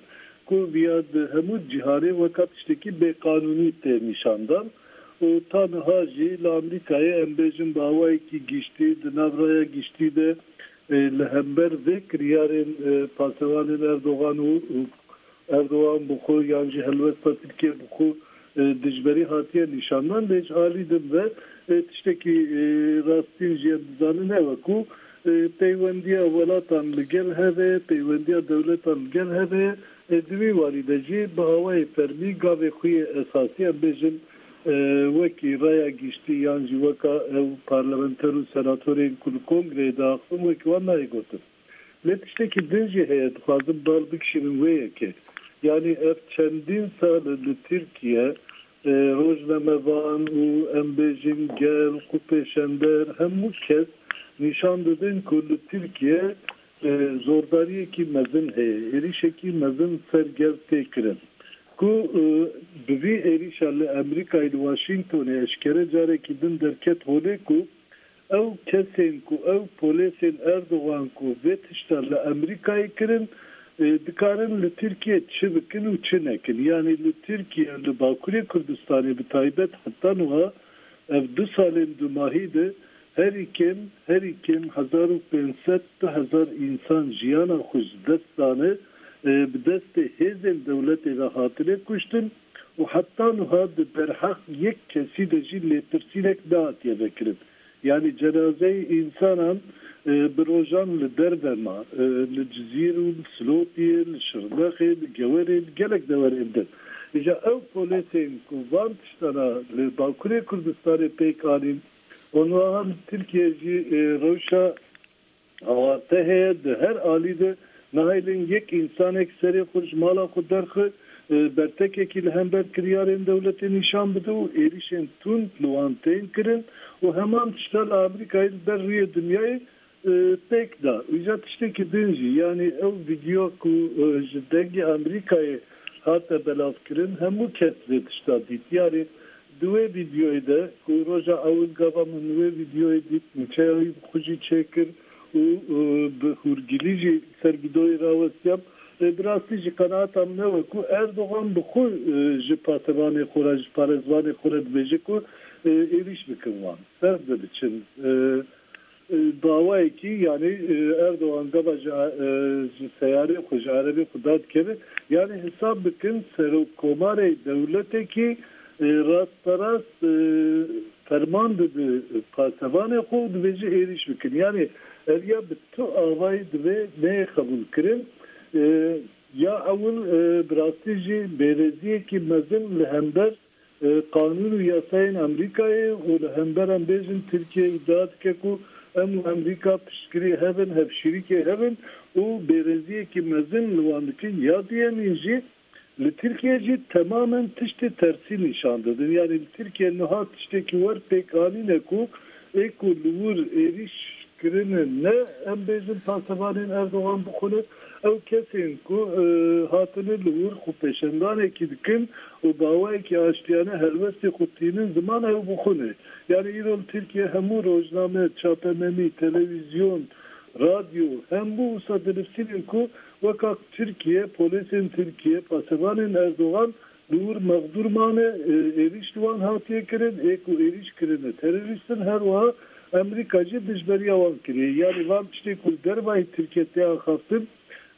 Ku viya di hemû cîhanê weka tiştekî bêqanûnî tê nîşandan û ta niha jî li Amerîkayê em bêjin bi awayekî giştî di nav raya giştî de li hember vê kiryarên pasewanên Erdogan û Erdogan bi xwe yan jî helwesta Tirkiye bi xwe dijberî hatiye nîşandan lê ji alî din ve tiştekî rastîn jî em dizanin ew e ku peywendiya welatan li gel hev e, peywendiya dewletan li gel hev e, di wî warî de jî bi awayê fermî gavê xwe yê esasî em bêjin wekî raya giştî yan jî weka ew parlamenter û senatorên ku li kongreyê diaxivin wekî wan nayê gotin. Lê tiştekî din jî heye dixwazim bal bikişînim wê yekê. Yani ev çendîn sal li Tirkiye rojnamevan û em bêjin gel, xwepêşander hemû kes nîşan didin ku li Tirkiye zordariyekî mezin heye, êrişekî mezin ser gel tê kirin. Ku bi vî êrişa li Amerîkayê li Washingtonê eşkere carekî din derket holê ku ew kesên ku ew polêsên Erdogan ku vê tişta li Amerîkayê kirin dikarin li Tirkiye çi bikin û çi nekin. Yani li Tirkiye li Bakurê Kurdistanê bi taybet heta niha ev du salên dumahî de herî kêm herî kêm hezar û pênc sed du hezar însan jiyana xwe ji dest dane bi destê hêzên dewletê ve hatine kuştin û heta niha di derheq yek kesî de jî lêpirsînek nehatiye vekirin. Yani cenazeyê însanan bi rojan li derve ma, li Cizîr û li Silopiyê, li Şirnexê, li Gewerê, li gelek deverên din. Îja ew polêsên ku van tiştana li Bakurê Kurdistanê pêk anîn, û li Tirkiye jî rewşa awarte heye di her alî de nahêlin yek însanek serê xwe ji mala xwe derxe bertekekî li hember kiryarên dewletê nîşan bide û êrişên tund li wan tên kirin û heman tişta li Amerîkayê li ber rûyê dinyayê pêk da. Îja tiştekî din jî yani ew vîdeo ku ji dengê Amerîkayê hate belavkirin hemû kes vê tişta dît. Yani di wê vîdeoyê de ku roja ewil gava min wê vîdeoyê dît nûçeya wî bi xwe jî çêkir û bi hûrgilî jî ser vîdeoyê rawestiyam. Bi rastî jî qenaata min ew e ku Erdogan bi xwe ji pasevanê xwe re ji parêzvanê xwe re dibêje ku êriş bikin wan ser de biçin. Bi awayekî yani Erdogan gava ji ji seyarê xwe ji erebê xwe dadikeve yani hesab bikin serokkomarê dewletekî rasterast ferman dide pasevanê xwe û dibêje êriş bikin. Yani ev ya bi tu awayî divê neyê qebûlkirin. Ya ewil bi rastî jî bêrêziyekî mezin li hember qanûn û yasayên Amerîkayê û li hember em bêjin Tirkiye îdia dike ku em û Amerîka piştgirî hevin, hevşîrîkê hevin û bêrêziyekî mezin li wan dikin. Ya duyemîn jî li Tirkiye jî temamen tiştê tersî nîşan didin. Yani li Tirkiye niha tiştekî wer pêk anîne ku ê ku li wir êriş kirine ne em bêjin pasevanên Erdogan bixwine ew kesên ku hatine li wir xwepêşandanekî dikin û bi awayekî aştiyane helwestê xwe tînin ziman ew bixwine. Yani îro li Tirkiye hemû rojname, çapemenî, televîzyon, radyo hemû wisa dinivîsînin ku weka Tirkiye, polêsên Tirkiye, pasevanên Erdogan li wir mexdûr mane, êriş li wan hatiye kirin, ê ku êriş kirine terorîstin her wiha Amerîka jî dijberiya wan kiriye. Yani van tiştê ku li dervayî Tirkiye tê axaftin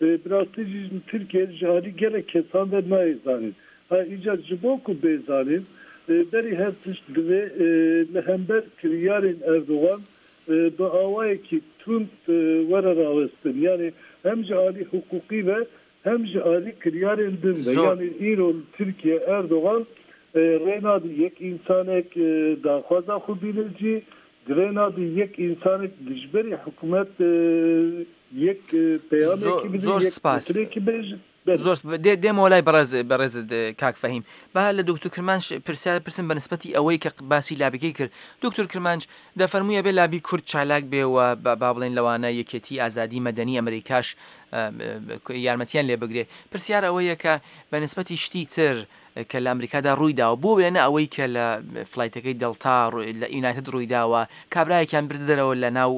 bi rastî jî Tirkiye ji alî gelek kesan ve nayê zanîn. Ha îca ji bo ku bê zanîn berî her tişt divê li hember kiryarên Erdogan bi awayekî tund were rawestin. Yani hem ji alî hiqûqî ve hem ji alî kiryarên din ve. Yani îro li Tirkiye Erdogan rê nade yek însanek daxwaza xwe bîne cî, rê nade yek însanek dijberî hikûmet yek peyamekî bide, زۆر yek سپاس. gotinekî bêje. زۆر دێ دێمەوە لای بەڕێز بەڕێز کاک فەهیم. با لە دکتۆر کرمانج پرسیار پرسم بە نسبەتی ئەوەی کە باسی لابیکەی کرد. دکتۆر کرمانج دەفەرموویە بێ لابی کورد چالاک بێ و با بڵێن لەوانە یەکێتی ئازادی مەدەنی ئەمریکاش یارمەتیان لێ بگرێ. پرسیار ئەوەیە کە بە نسبەتی شتی تر کە لە ئەمریکادا ڕوویداوە. بۆ وێنە ئەوەی کە لە flight ەکەی دەلتا لە یونایتد ڕوویداوە، کابرایەکیان بردە دەرەوە لە ناو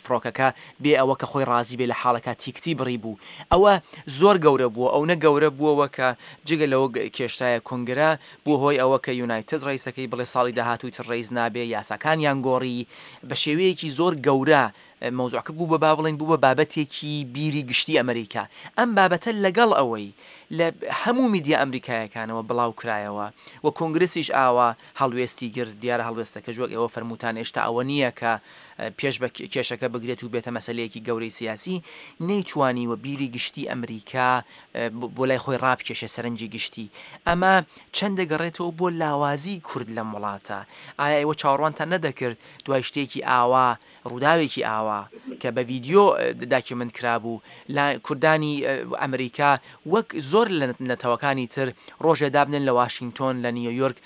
فڕۆکەکە بێ ئەوە کە خۆی ڕازی بێ لە حاڵەکە ticket ی بڕی بوو. ئەوە زۆر گەورە بووە، ئەو نە گەورە بووەوە کە جگە لەوە کێشتایە کۆنگرە بوو هۆی ئەوە کە یونایتد ڕئیسەکەی بڵێ ساڵی داهاتووی تر ڕئیس نابێ، یاساکانیان گۆڕی بە شێوەیەکی زۆر گەورە. مەوزوعەکە بوو بە با بڵێن بوو بە بابەتێکی بیری گشتی ئەمریکا. ئەم بابەتە لەگەڵ ئەوەی لە هەموو میدیا ئەمریکایەکانەوە بڵاو کرایەوە و کۆنگرسیش ئاوا هەڵوێستی گرت، دیارە هەڵوێستەکەش وەک ئێوە فەرمووتان هێشتا ئەوە نییە کە پێش بە کێشەکە بگرێت و بێتە مەسەلەیەکی گەورەی سیاسی، نەیتوانی و بیری گشتی ئەمریکا بۆ لای خۆی ڕابکێشێ سەرنجی گشتی. ئەمە چەند دەگەڕێتەوە بۆ لاوازی کورد لەم وڵاتە؟ ئایا ئێوە چاوەڕوانتان نەدەکرد دوای شتێکی ئاوا، ڕووداوێکی ئاوا کە بە ڤیدیۆ document کرابوو لە کوردانی ئەمریکا وەک زۆر لە نەتەوەکانی تر ڕۆژێ دابنن لە واشنگتۆن، لە نیویۆرک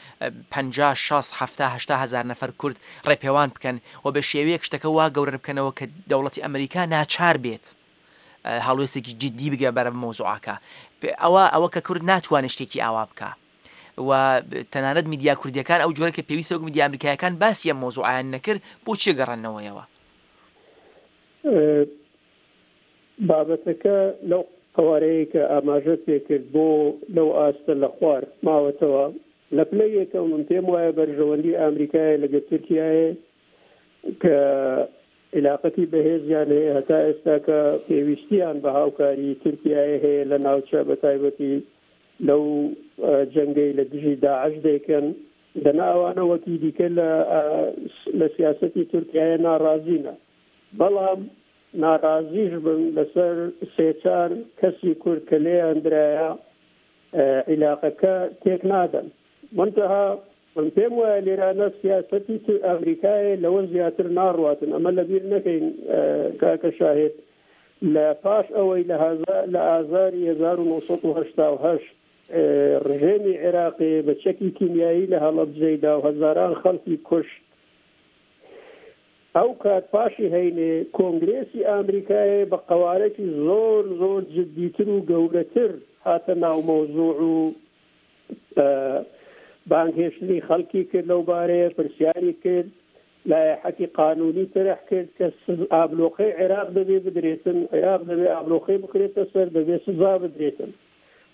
پەنجا، شەست، حەفتا، هەشتا هەزار نەفەر کورد ڕێپێوان بکەن و بە شێوەیەک شتەکە وا گەورە بکەنەوە کە دەوڵەتی ئەمریکا ناچار بێت هەڵوێستێکی جدی بگە بەرە مەوزوعەکە. ئەوە ئەوە کە کورد ناتوانێت شتێکی ئاوا بکە و تەنانەت میدیا کوردیەکان ئەو جۆرە کە پێویستە وەک میدیا ئەمریکایەکان باسی ئەم مەوزوعیان نەکرد، بۆچی گەڕانەوەیەوە؟ بابەتەکە لەو قوارەیە کە ئاماژە پێکرد بۆ لەو ئاستە لە خوار ماوەتەوە. لە پلەی یەکەم من پێم وایە بەرژەوەندی ئەمریکایە لەگەڵ تورکیایە کە علاقەتی بەهێزیان هەیە هەتا ئێستا کە پێویستیان بە هاوکاری تورکیایە هەیە لە ناوچە، بە تایبەتی لەو جەنگەی لە دژی داعش دەیکەن. دەنا ئەوانە وەکی دیکە لە سیاسەتی تورکیایە ناڕازینە، بەڵام ناڕازیش بن لەسەر سێ چار کەسی کورد کە لێیان درایە عیلاقەکە تێک نادەن. منتەها من پێم وایە لێرانە سیاسەتی ئەمریکایە لەوە زیاتر ناڕواتن. ئەمە لەبیر نەکەین کاکە شاهد، لە پاش ئەوەی لە ئازاری هەزار و نۆ سەد و هەشتا و هەشت ڕژێمی عێراقی بە چەکی کیمیایی لە هەڵەبجەیدا و هەزاران خەڵکی کوشت، ئەو کات پاشی هەینێ کۆنگرێسی ئەمریکایە بە قەوارەکی زۆر زۆر جدیتر و گەورەتر هاتە ناو مەوزوع و بانگهێشتنی خەڵکی کرد لەو بارەیە، پرسیاری کرد، لایحەتی قانونی تەرح کرد کە ئابلۆقەی عێراق دەبێ بدرێتن، عێراق دەبێ ئابلۆقەی بکرێتە سەر، دەبێ سزا بدرێتن.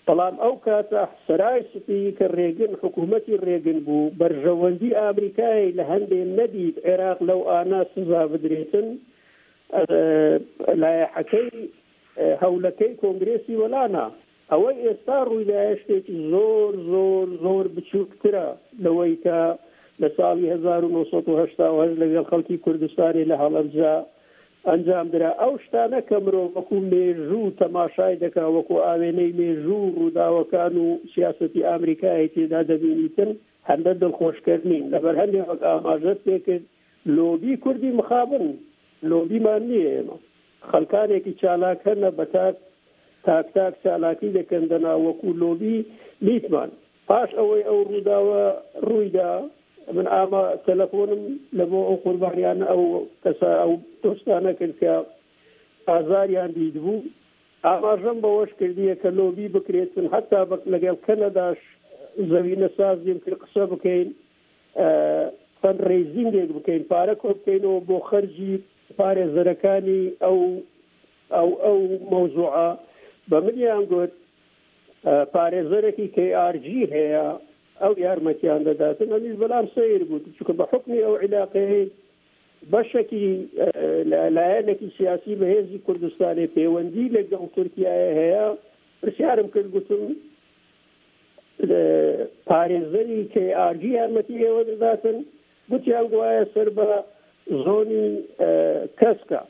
بەڵام ئەو کاتە سەرای سپی کە ڕێگن حکوومەتی ڕێگن بوو، بەرژەوەندی ئەمریکای لە هەندێ نەدید عێراق لەو ئانا سزا بدرێتن، لایحەکەی هەولەکەی کۆنگرێسی وەلانا. ئەوەی ئێستا ڕوویدایە شتێکی زۆر زۆر زۆر بچووکترە لەوەی کە لە ساڵی هەزار و نۆ سەد و هەشتا و هەشت لەگەڵ خەڵکی کوردستانی لە هەڵەبجە ئەنجام درا. ئەو شتانە کە مرۆڤ وەکو مێژوو تەماشای دەکا، وەکو ئاوێنەی مێژوو ڕووداوەکان و سیاسەتی ئەمریکای تێدا دەبینیتن، هەندە دڵخۆشکەر نین. لەبەر هەندێک وەک ئاماژەت پێکرد لۆبی کوردی مخابن لۆبیمان نییە. ئێمە خەڵکانێکی چالاک هەنە بە تاک تاک تاک چالاکی دەکەن دەنا وەکو لۆبی نیتمان. پاش ئەوەی ئەو ڕووداوە ڕوویدا، من ئاما تەلەفۆنم لە بۆ ئەو قوربانیانە ئەو کەسە ئەو دۆستانە کرد کە ئازاریان دیدبوو، ئاماژەم بەوەش کردیە کە لۆبی بکرێتن، حتا لەگەڵ کەنەداش زەوینە سازیم کرد قسە بکەین، fundraising ێک بکەین، پارە کۆ بکەینەوە بۆ خەرجی پارێزەرەکانی ئەو ئەو ئەو مەوزوعە. بە منیان گوت پارێزەرێکی کەی ئار جی هەیە، ئەو یارمەتیان دەداتن. ئەمیش بەلام سەیر بوو، چونکە بە حوکمی ئەو عیلاقەیە بەشێکی لایەنێکی سیاسی بەهێزی کوردستانی پەیوەندی لەگەڵ تورکیایە هەیە. پرسیارم کرد، گوتم پارێزەری کەی ئار جی یارمەتی ئێوە دەداتن؟ گوتیان گوایە سەر بە زۆنی کەسکە.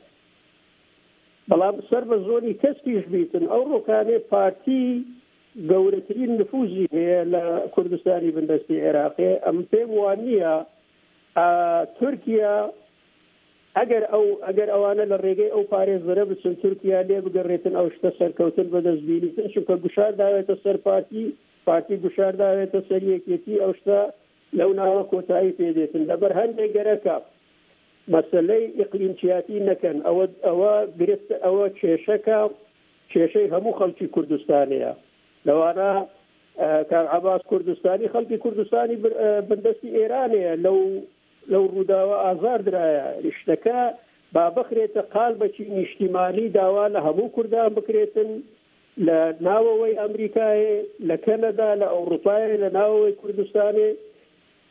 بەڵام سەر بە زۆنی کەسکیش بیتن، ئەو ڕۆکانێ پارتی گەورەترین نفوزی هەیە لە کوردستانی بندەستی عێراقی. ئەم پێم وان نییە تورکیا ئەگەر ئەو ئەگەر ئەوانە لە ڕێگەی ئەو پارێزەرە بچن تورکیا لێ بگەڕێتن ئەو شتە سەرکەوتن بەدەست بینیتن، چونکە گوشار داوێتە سەر پارتی، پارتی گوشار داوێتە سەر یەکێتی، ئەو شتە لەو ناوە کۆتایی پێدێتن. لەبەر هەندێک گەرەکە مەسلەی ئیقلیمچیاتی نەکەن، ئەوە ئەوە گرفت، ئەوە کێشەکە کێشەی هەموو خەڵکی کوردستانەیە، لەوانە کاک عەباس کوردستانی خەڵکی کوردستانی بندەستی ئێرانەیە لەو لەو ڕووداوە ئازار درایە. شتەکە با بخرێتە قالبەکی نیشتیمانی، داوا لە هەموو کوردان بکرێتن لە ناوەوەی ئەمریکایە، لە کەنەدا، لە ئەوروپایە، لە ناوەوەی کوردستانێ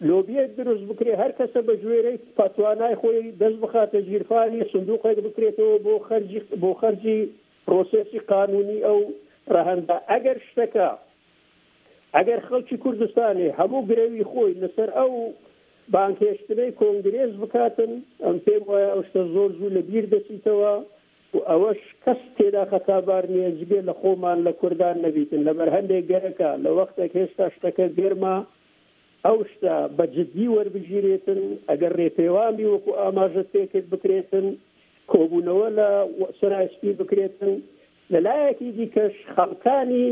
لۆبیەک دروست بکرێ، هەر کەسە بە گوێرەی پاتوانای خۆی دەست بخاتە ژیرفانی، سندوقێک بکرێتەوە بۆ خەرجی بۆ خەرجی پرۆسێسی قانونی ئەو ڕەهەندە. ئەگەر شتەکە ئەگەر خەڵکی کوردستانی هەموو گرەوی خۆی لەسەر ئەو بانکهێشتنەی کۆنگرێس بکاتن، ئەم پێم وایە ئەو شتە زۆر زوو لە بیر دەچیتەوە و ئەوەش کەس تێدا خەتابار نییە جگە لە خۆمان لە کوردان نەبیتن. لەبەر هەندێک گەرەکە لە وەختێک هێشتا شتەکە گەرمە ئەو شتە بە جدی وەربگیرێتن، ئەگەر ڕێپێوانی وەکو ئاماژەت پێکرد بکرێتن، کۆبوونەوە لە سەرای سپی بکرێتن. لەلایەکی دیکەش خەڵکانی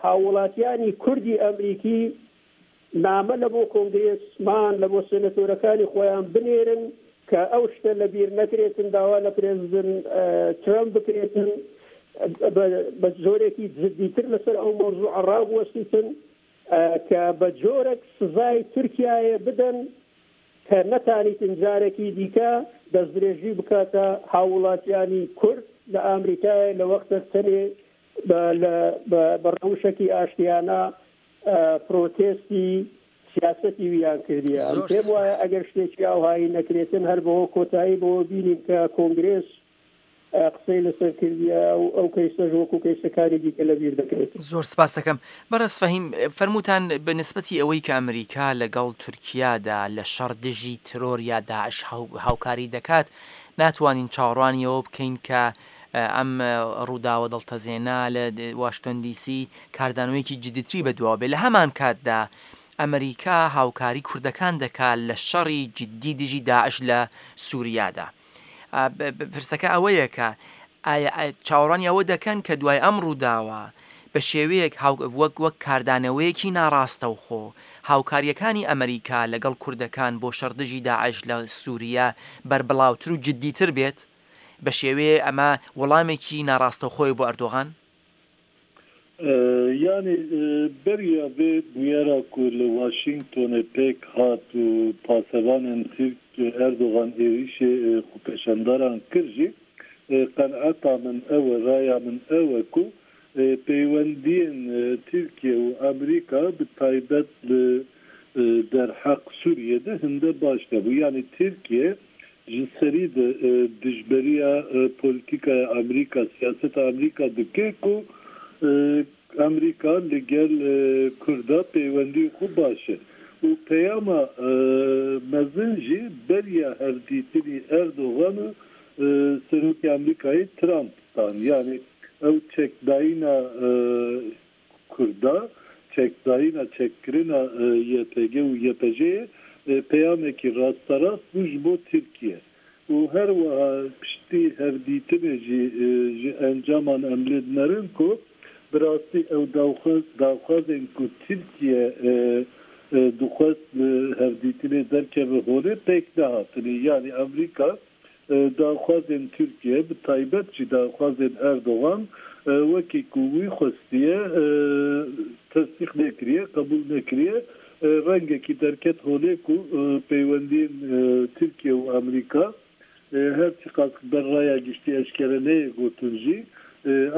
هاووڵاتیانی کوردی ئەمریکی نامە لە بۆ کۆنگرێسمان لە بۆ سێنەتۆرەکانی خۆیان بنێرن کە ئەو شتە لەبیر نەکرێتن، داوا لە پرێزیدنت ترەمپ بکرێتن بە جۆرێکی جدیتر لەسەر ئەو مەوزوعە ڕابوەستیتن کە بە جۆرێک سزای تورکیایە بدەن کە نەتانیتن جارێکی دیکە دەستدرێژی بکاتە هاووڵاتیانی کورد لە ئەمریکای لە وەختە تەنێ بە ڕەوشێکی ئاشتیانە پرۆتێستی سیاسەتی ویان کردیە. ئەم پێم وایە ئەگەر شتێکی ئاوهایی نەکرێتن هەر بەوە کۆتایی بەوە بینین کە کۆنگرێس قسەی لەسەر کردیە و ئەو کەیسەش وەکو کەیسەکانی دیکە لەبیر دەکرێت. زۆر سپاس دەکەم. بەڕێز فەهیم، فەرمووتان بە نسبەتی ئەوەی کە ئەمریکا لەگەڵ تورکیادا لە شەڕ دژی ترۆر یا داعش هاوکاری دەکات، ناتوانین چاوەڕوانی ئەوە بکەین کە ئەم ڕووداوە دڵتەزێنە لە واشنتۆن دیسی کاردانەوەیەکی جدیتری بەدواوە بێ. لە هەمان کاتدا ئەمریکا هاوکاری کوردەکان دەکات لە شەڕی جدی دژی داعش لە سووریادا. پرسەکە ئەوەیە کە چاوەڕوانی ئەوە دەکەن کە دوای ئەم ڕووداوە بە شێوەیەک وەک وەک کاردانەوەیەکی ناڕاستەوخۆ هاوکاریەکانی ئەمریکا لەگەڵ کوردەکان بۆ شەڕ دژی داعش لە سووریا بەربڵاوتر و جدیتر بێت، بە شێوەیە ئەمە وەڵامێکی ناڕاستەوخۆی بۆ ئەردۆغان؟ یعنی بەریا vê bûyera ku li Washingtonê pêk hat û pasevanên Tirk Erdogan êrişê xwepêşandaran kir jî qenaeta min ew e, raya min ew e ku peywendiyên Tirkiye û Amerîka bi taybet li derheq Sûriyê de hinde baş nebû. Yani Tirkiye ji serî de dijberiya polîtikaya Amerîka, siyaseta Amerîka dike ku Amerîka li gel Kurda peywendî xwe baş e. û peyama mezin jî beriya hevdîtinî Erdogan û Serokê Amerîkayê Trump dan. Yani ew çekdayîna Kurda, çekdayîna çekkirina Y P G û Y P J'yê peyamekî rasterast bû ji bo Tirkiye. û her wiha piştî hevdîtinê jî ji encaman em lê dinerin ku bi rastî ew daxwazên ku Tirkiye dixwest li hevdîtinê derkeve holê pêk nehatinê. Yani Amerîka daxwazên Tirkiye bi taybet jî daxwazên Erdogan wekî ku wî xwestiye tesdîq nekiriye, qebûl nekiriye, rengekî derket holê ku peywendiyên Tirkiye û Amerîka her çiqas ber raya giştî eşkere neyê gotin jî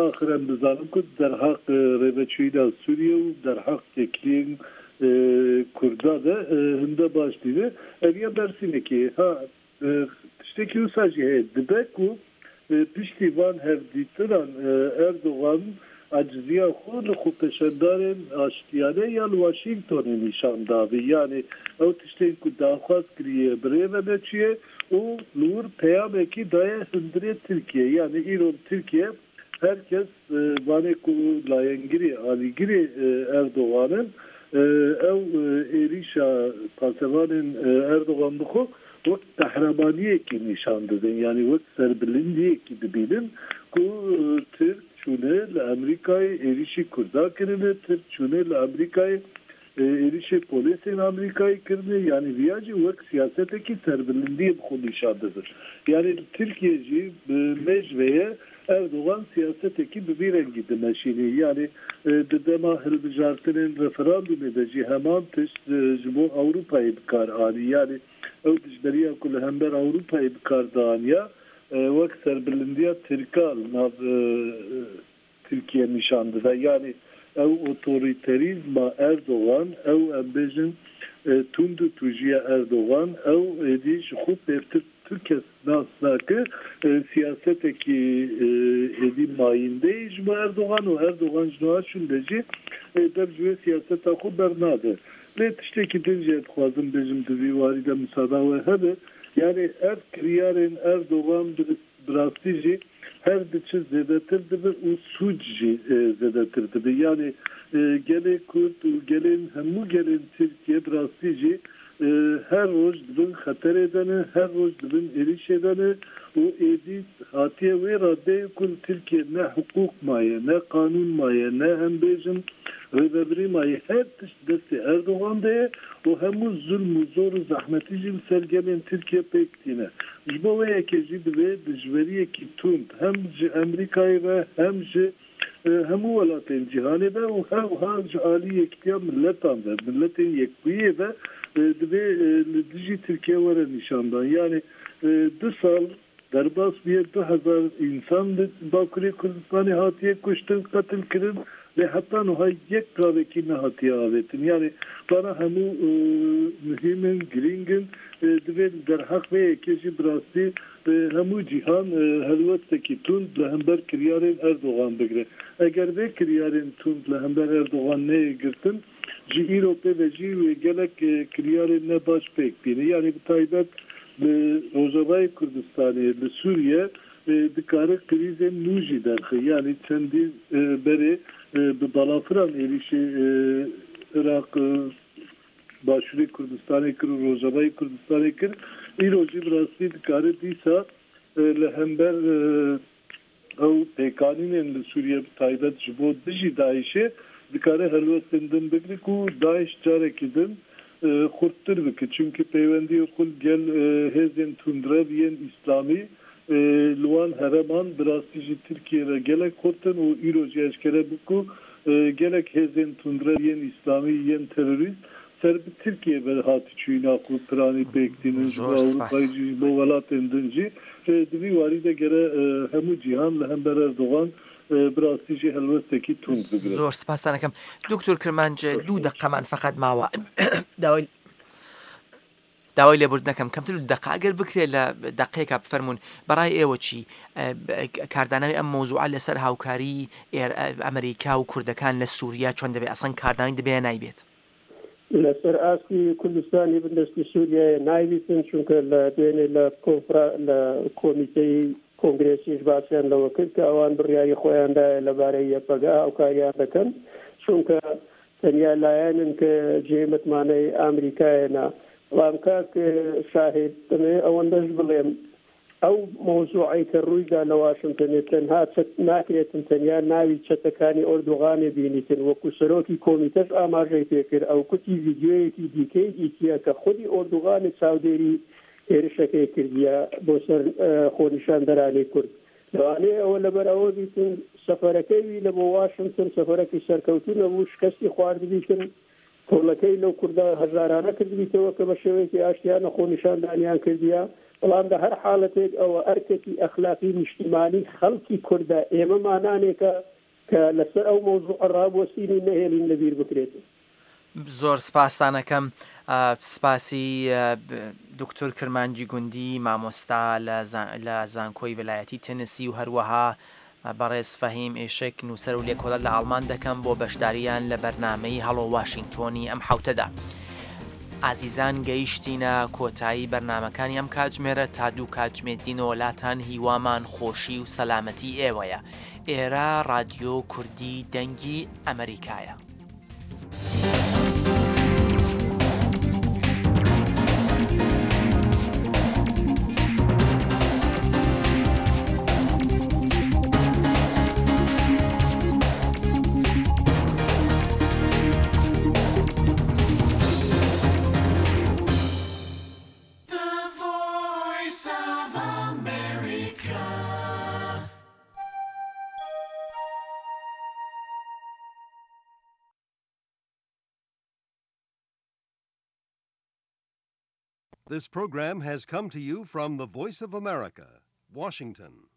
axir em dizanin ku derheq rêveçûyîna Sûriye û derheq têkiliyên Kurda de hinde baş dîne. Ev ya bersînekî ha tiştekî wisa jî heye dibe ku piştî van hevdîtinan Erdogan aciziya xwe li xwepêşandarên aştiyane ya li Washingtonê nîşan dabî. Yani ew tiştên ku daxwaz kiriye bi rê ve neçûye û li wir peyamekî daye hundirê Tirkiye. Yani îro Tirkiye herkes vanê ku layengirê alîgirê Erdogan'ın ew êrişa pasevanên Erdogan bixwe wek qehremaniyekî nîşan didin. Yani wek serbilindiyekî dibînin ku Tirk çûne li Amerîkayê êrişî Kurda kirine, Tirk çûne li Amerîkayê êrişê polîsên Amerîkayê kirine yanî viya jî wek siyasetekî serbilindiyê bi xwe nîşan didin. Yanî li Tirkiye jî bi mêj ve ye Erdogan siyasetekî bi vî rengî dimeşîne. Yanî di dema hilbijartinên referandumê de jî heman tişt ji bo Ewropayê bikar anî. Yanî ew dijberiya ku li hember Ewropayê bikar dianiya wek serbilindiya Tirka li nav Tirkiye nîşan dide. Yanî ew otoriterîzma Erdogan, ew em bêjin tund û tûjiya Erdogan, ew êdî ji xwe pêvtir tu kes nas nake, siyasetekî êdî mayîndeyê ji bo Erdogan û Erdogan ji niha şûnde jî dev ji wê siyaseta xwe bernade. Lê tiştekî din jî dixwazim bêjim di vî warî de misada we hebe, yanî ev kiryarên Erdogan bi rastî jî her diçe zêdetir dibe û sûc jî zêdetir dibe. Yanî gelê Kurd û gelên hemû gelên Tirkiye bi rastî jî her roj dibin xeterê de ne, her roj dibin êrişê de ne û êdî hatiye wê raddeyê ku li Tirkiye ne hiqûq maye, ne qanûn maye, ne em bêjin rêvebirî maye, her tişt destê Erdogan de ye û hemû zulm û zor û zehmetî jî li ser gelên Tirkiye pêk tîne. Ji bo wê yekê jî divê dijweriyekî tund hem ji Amerîkayê ve hem ji hemû welatên cîhanê ve û her wiha ji alî yekitiya miletan ve, miletên yekbûyê ve divê li dijî Tirkiye were nîşandan. Yani du sal derbas bûye du hezar însan li Bakurê Kurdistanê hatiye kuştin, qetil kirin, lê heta niha yek gavekî nehatiye avêtin. Yani vana hemû muhîm in, girîng in, divê li derheq vê yekê jî bi rastî hemû cîhan helwestekî tund li hember kiryarên Erdogan bigire. Eger vê kiryarên tund li hember Erdogan neyê girtin, ji îro pê ve jî wê gelek kiryarên ne baş pêk bîne. Yani bi taybet li Rojavayê Kurdistanê, li Sûriye dikare krîzên nû jî derxe. Yani çendî berê bi balafiran êrişê Iraq, Başûrê Kurdistanê kir û Rojavayê Kurdistanê kir, îro jî bi rastî dikare dîsa li hember ew pêkanînên li Sûriye bi taybet ji bo dijî DAIŞê dikare helwestên din bigire ku DAIŞ carekî din xurttir bike. Çünkü peywendiyê xwe gel hêzên tundrev yên İslamî li wan hereman bi rastî jî Tirkiye re gelek xurt in û îro jî eşkere bû ku gelek hêzên tundrev yên İslamî yên terorîst ser bi Tirkiye ve hatî çûyîna xwe piranî pêk tînin ji bo Ewropayê jî ji bo welatên din jî. Di vî warî de gere hemû cîhan li hember Erdogan bi rastî jî helwestekî tund bigire. زۆر سپاستان ئەکەم. دکتۆر کرمانج دوو دەقەمان فەقەت ماوە. داوای داوای لێبوردن نەکەم کەمتر دوو دەقە ئەگەر بکرێت لە دەقەیەکا بفەرموون بەڕای ئێوە چی کاردانەوەی ئەم مەوزوعە لەسەر هاوکاری ئەمریکا و کوردەکان لە سووریا چۆن دەبێت؟ ئەسڵەن کاردانەوەی دەبێ نایبێت؟ لەسەر ئاستی کوردستانی بندەستی سووریای نایبیتن، چونکە لە دوێنێ لە کۆنفرا لە کۆمیتەی کۆنگرێسیش باسیان لەوە کرد کە ئەوان بڕیاری خۆیاندایە لەبارەی یەپەگە هاوکاریان دەکەن، چونکە تەنیا لایەنن کە جێ متمانەی ئەمریکایەنە. بەڵام کاک شاهید دەمەوێت ئەوەندەش بڵێم ئەو مەوزوعەی کە ڕوویدا لە واشنگتنێ تەنها ناکرێتن تەنیا ناوی چەتەکانی ئۆردوغانێ بینیتن، وەکو سەرۆکی کۆمیتەش ئاماژەی پێکرد ئەو کوتی ڤیدیۆیەکی دیکەی دیتیە کە خودی ئۆردوغانێ چاودێری هێرشەکەی کردیە بۆ سەر خۆنیشاندەرانی کورد. لەوانەیە ئەوە لەبەر ئەوە بیتن سەفەرەکەی لە بۆ واشنگتن سەفەرەکی سەرکەوتوو نەبوو، شکستی خواردبیتن، تۆڵەکەی لەو کووردا هەزارانە کردبیتەوە کە بە شێوەیەکی ئاشتیانە خۆنیشاندانیان کردیە. بەڵام لە هەر حاڵەتێک ئەوە ئەرکێکی ئەخلاقی نیشتیمانی خەڵکی کوردە ئێمە مانانێکە کە لەسەر ئەو مەوزوع ڕابوەستین و نەهێڵین لەبیر بکرێت. زۆر سپاسانەکەم. سپاسی دکتۆر کرمانجی گوندی مامۆستا لە زانکۆی ویلایەتی تەنسی و هەروەها بەڕێز فەهیم ئێشک نووسەر و لێکۆڵەر لە ئاڵمان دەکەم بۆ بەشداریان لە بەرنامەی هەڵۆ واشنگتۆنی ئەم حوتەدا. ئازیزان گەیشتینە کۆتایی بەرنامەکانی ئەم کاتژمێرە تا دوو کاتژمێر دینەوە لاتان هیوامان خۆشی و سەلامەتی ئێوەیە. ئێرە رادیۆ کوردی دەنگی ئەمریکایە. This program has come to you from the Voice of America, Washington.